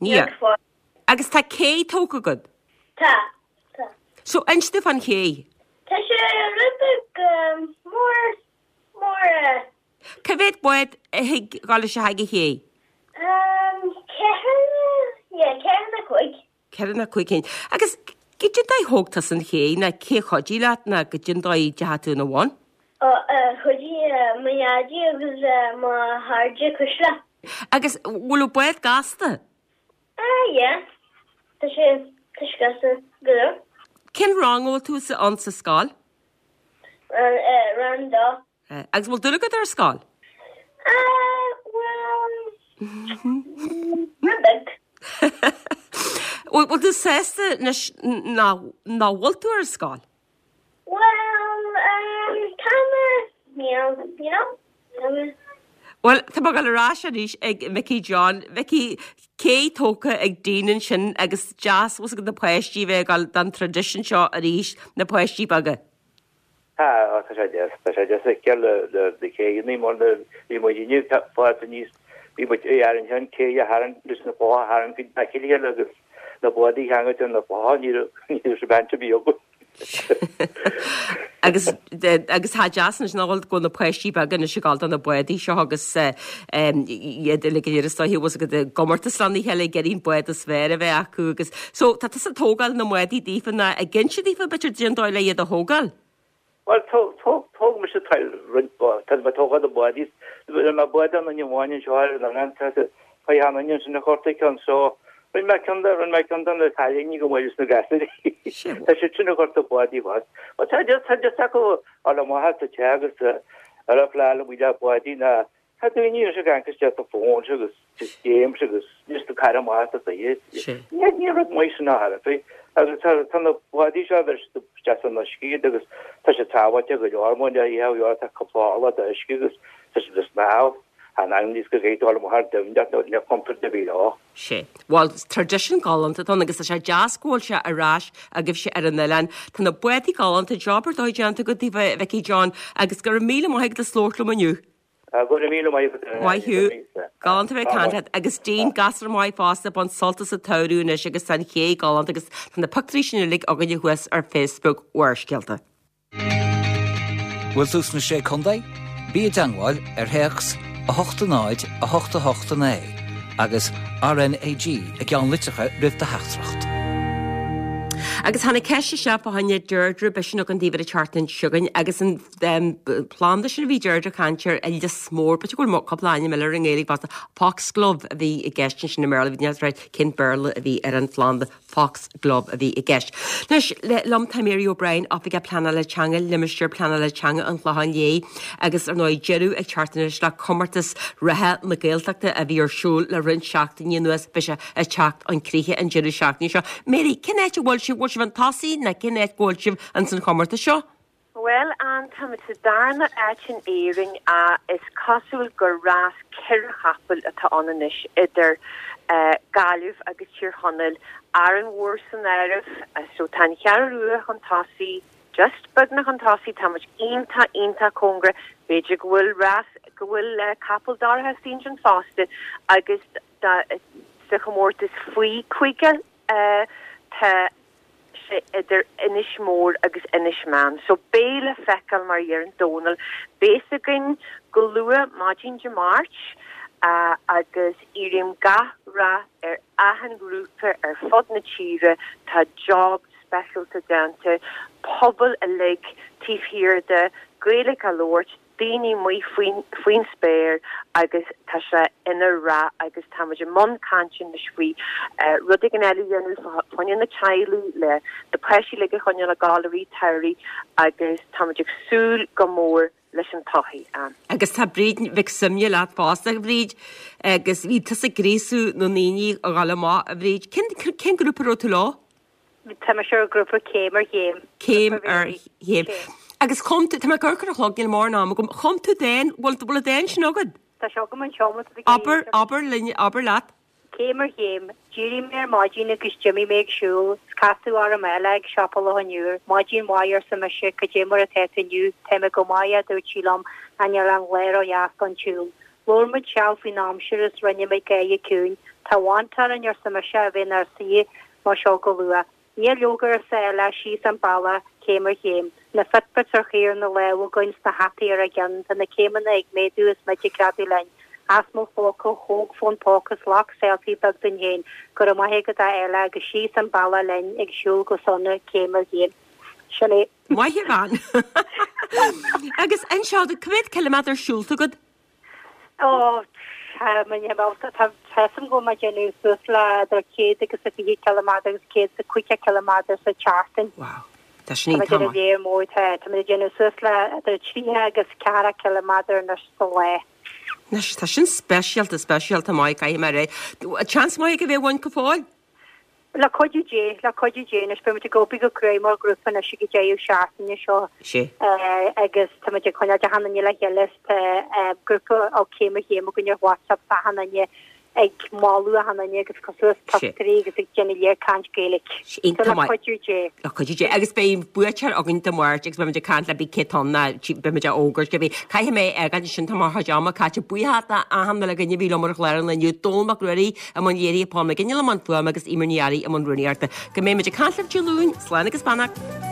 Níl. Níl go fóill. Agus tá cé tógtha agat? Tá. Tá. So inis domh fán ché. Tá sé rud beag mór, mór eh. Cá mhéad bád a thig dhul isteach ag an ché? Um, ceithre, yeah, ceithre nó cúig. Ceithre nó cúig cinn. Agus goidé an dóigh a thóg tusa an ché, ná cé a chuidigh leat, ná goidé an dóigh a dteachaigh tú ina bhun? Ó, eh, chuidigh eh, mo dhaidí agus eh, mo chairde Cuisle. Agus bhfuil an bád gasta? Ah, yeah. Tá sé, tá sé gasta go leor. Cén rang a bhfuil tú ann sa scoil? Rang, eh, rang dó. Agus bhfuil dúil agat ar scoil? Ah, bhuel, rud beag. Bhfuil bhfuil tú sásta anois nach nach bhfuil tú ar scoil? Bhuel, um, tá mé, níl, you know, tá mé. Bhuel, tá mé ag dul ar ais arís ag Mickey John. Mickey, cé tógtha ag Dean ansin agus deas bhfuil agat na páistí bheith ag dul don traidisiún seo arís, na páistí beaga. Tá, tá sé deas, tá sé deas a fheiceáil le na céanna mar na bhí muid inniu fáilte aníos, bhí muid ag arraingt an cé a tharraingt leis na clocha a tharraingt go dtí na chéile agus na bádaí a cheangailt ar na clocha, ní raibh ní raibh baint ar bith againn. Agus agus tá deas anois nach bhfuil go bhfuil na páistí beaga anois ag dul do na bádaí seo agus iad uilig go léir is dóiche bhfuil agat i gcomórtas lena chéile ag iarraidh an bád is fearr a bheith acu agus so tá tusa ag tógáil na mbádaí daofa ná ag inse daofa b'fhéidir goidé an dóigh le iad a thógáil. Bhuel, thóg mise roinnt tá mé ag tógáil na bádaí, rinne mé bád an duine amháin anseo ar an oileán, tá an duine sin a chortaigh ceann so rinne mé ceann de, rinne mé ceann de na cailíní go maith leis na gasúirí. Tá siad sin ag gortú bádaí fad. Bhuel, tá tá deis acu fháil amach as an teach agus ar a phlean amuigh le bádaí ná Tá daoine anois ag amharc isteach sa fón agus just games agus just ag caitheamh amach as a saothar. Ní ní rud maith sin ná thar bith. Agus tá tá na bádaí seo bheir siad isteach san uisce iad agus tá siad sábháilte go leor mar ní hea go tá cúpla orlach d'uisce agus tá siad ag snámh. An ainm níos go gcaithfidh tú dul amach ar domhan nó níl contúirt ar bith leo. Sé. Bhuel, traidisiún galánta atá ann agus tá sé deas go bhfuil sé ar ais agaibhse ar an oileán. Tá na bádaí galánta, job ar dóigh déanta agat daofa, a Mhicí John, agus go raibh míle maith agat as labhairt liom inniu. Go raibh míle maith agat. Maith thú. Galánta bheith ag caint leat. Agus Dean, gasúr maith fosta, bain sult as an tsamhradh anois agus tá an ché galánta agus tá na pictiúirí sin uilig againne thuas ar Facebook Bharrscéalta. Bhfuil tú sna Sé Contae? Bí i dteangmháil ar théacs a hocht a náid a hocht a hocht a naoi agus RNAG i gceannlitreacha roimh do theachtaireacht. Agus tháinig ceist isteach fá choinne Deirdre, beidh sin againn daoibh ar an tseachtain seo chugainn, agus an planda sin a bhí Deirdre ag caint air, an lios mór, b'fhéidir go bhfuil cúpla ainm eile air i nGaeilge fosta, foxglove a bhí i gceist ansin i mBéarla, bhí níl cén Béarla a bhí ar an phlanda, foxglove a bhí i gceist. Anois, liom tá Mary O'Brien, Oifigeach Pleanála Teanga, Limistéar Pleanála Teanga an Chlocháin Léith, agus ar ndóigh deireadh ag teacht anois le comórtas reatha na Gaeltachta a bhí ar siúl le roinnt seachtainí anuas, beidh sé ag teacht chun críche an deireadh seachtaine seo. Mary, cén áit a bhfuil sibh, bhfuil sibh chun tosaigh nó cén áit go bhfuil sibh ins an chomórtas seo? Bhuel, Ann, táimid sa darna áit in Éirinn ach is cosúil gur rás ceithre chapall atá ann anois idir Gaillimh agus Tír Chonaill, Árainn Mhór san áireamh. So tá an Cheathrú Rua chun tosaigh, just beagnach chun tosaigh, tá muid iontach, iontach cóngarach. B'fhéidir go bhfuil rás, go bhfuil capall dorcha istigh ansin fosta agus sa chomórtas faoi caoga tá sé idir Inis Mór agus Inis Meáin. So beidh le feiceáil mar a deireann Dónal. Beidh a fhios againn go luath maidin Dé Máirt agus iarraim gach rath ar achan ghrúpa ar fud na tíre. Tá job speisialta déanta, pobal uilig taobh thiar de, Gaeilge á labhairt, daoine amuigh faoin faoin spéir agus tá sé ina rath agus tá muid i mbun cainte anois faoi rud éigin eile a dhéanamh fá choinne na teaghlaigh le na páistí uilig a choinneáil ag gabháil i rith an tsamhraidh agus tá muid ag súil go mór leis an todhchaí. Agus tá Bríd Mhic Suibhne leat fosta, a Bhríd, agus bhí tusa ag gríosú na ndaoine a ghabháil amach, a Bhríd. Cén cén grúpa a raibh tú leo? Tá mise ar ghrúpa Céim ar Chéim. Céim ar Chéim. Agus chum tú, tá mé ag amharc ar an chlog, níl mórán ama agam, chum tú dán, bhfuil bhfuil an dán sin agat? Tá sé agam anseo má tá tú ag Abair, abair linn, abair leat. Céim ar chéim, D'éirigh mé ar maidin agus d'imigh mé ag siúl, 's casadh orm Ella ag siopa Loch an Iúir. Maidin mhaith arsa mise, cad é mar atá tú inniu? Tá mé go maith a dúirt sí liom, ach níl aon lá ró-dheas don tsiúl. Labhair muid seal faoin aimsir is rinne muid gáire ciúin. Tá mant orainn arsa mise a bheith inár suí mar seo go luath. Níl leoga arsa Ella, síos an bealach, céim ar chéim. Na Fitbits ar chaor na lámh againn 's na hataí ar ár gceann, tá na céimeanna ag méadú is muid ag greadadh linn. As mo phóca, thóg fón póca 's ghlac selfie beag dúinn féin. Go raibh maith agat a Ella agus síos an bealach linn ag siúl go sona, céim ar chéim. Sin é. Maith an bhean. Agus anseo, cá mhéad ciliméadar siúlta agat? Ó, tá measaim go bhfuil mé ag déanamh suas le idir céad agus a fiche ciliméadar agus céad is a caoga ciliméadar sa tseachtain. Wow. Tá sin iontach maith. Tá mé tá tá mé ag déanamh suas le idir tríocha agus ceathracha ciliméadar anois sa lá. Anois, tá sin speisialta, speisialta maith, caithfidh mé a rá. Seans maith ag a bheith bhain go fóill? Le cuidiú Dé, le cuidiú Dé anois, beidh muid ag obair go cruaidh mar ghrúpa anois ag an deireadh seachtaine seo agus tá muid ag coinneáil achan duine le chéile is tá grúpa ó Céim ar Chéim againn ar WhatsApp is achan duine ag moladh achan duine agus cur suas pictiúirí agus ag déanamh léir caint Gaeilge. So le cuidiú Dé. Le cuidiú Dé. Agus beidh buaiteoir againn Dé Máirt agus beidh muid ag caint le bí cé tá ann ná beidh muid á fhógairt cibé. Caithfidh mé a fhágáil ansin tá mo chuid ama caite. Buíochas d'achan uile dhuine a bhí liom ar an chlár an lae inniu, Dónall Mac Ruairí i mbun léirithe, Paul McGinley i mbun fuaime agus Eimear Ní Fhearraigh i mbun rúnaíochta. Go mbeidh muid ag caint libh Dé Luain, slán agus beannacht.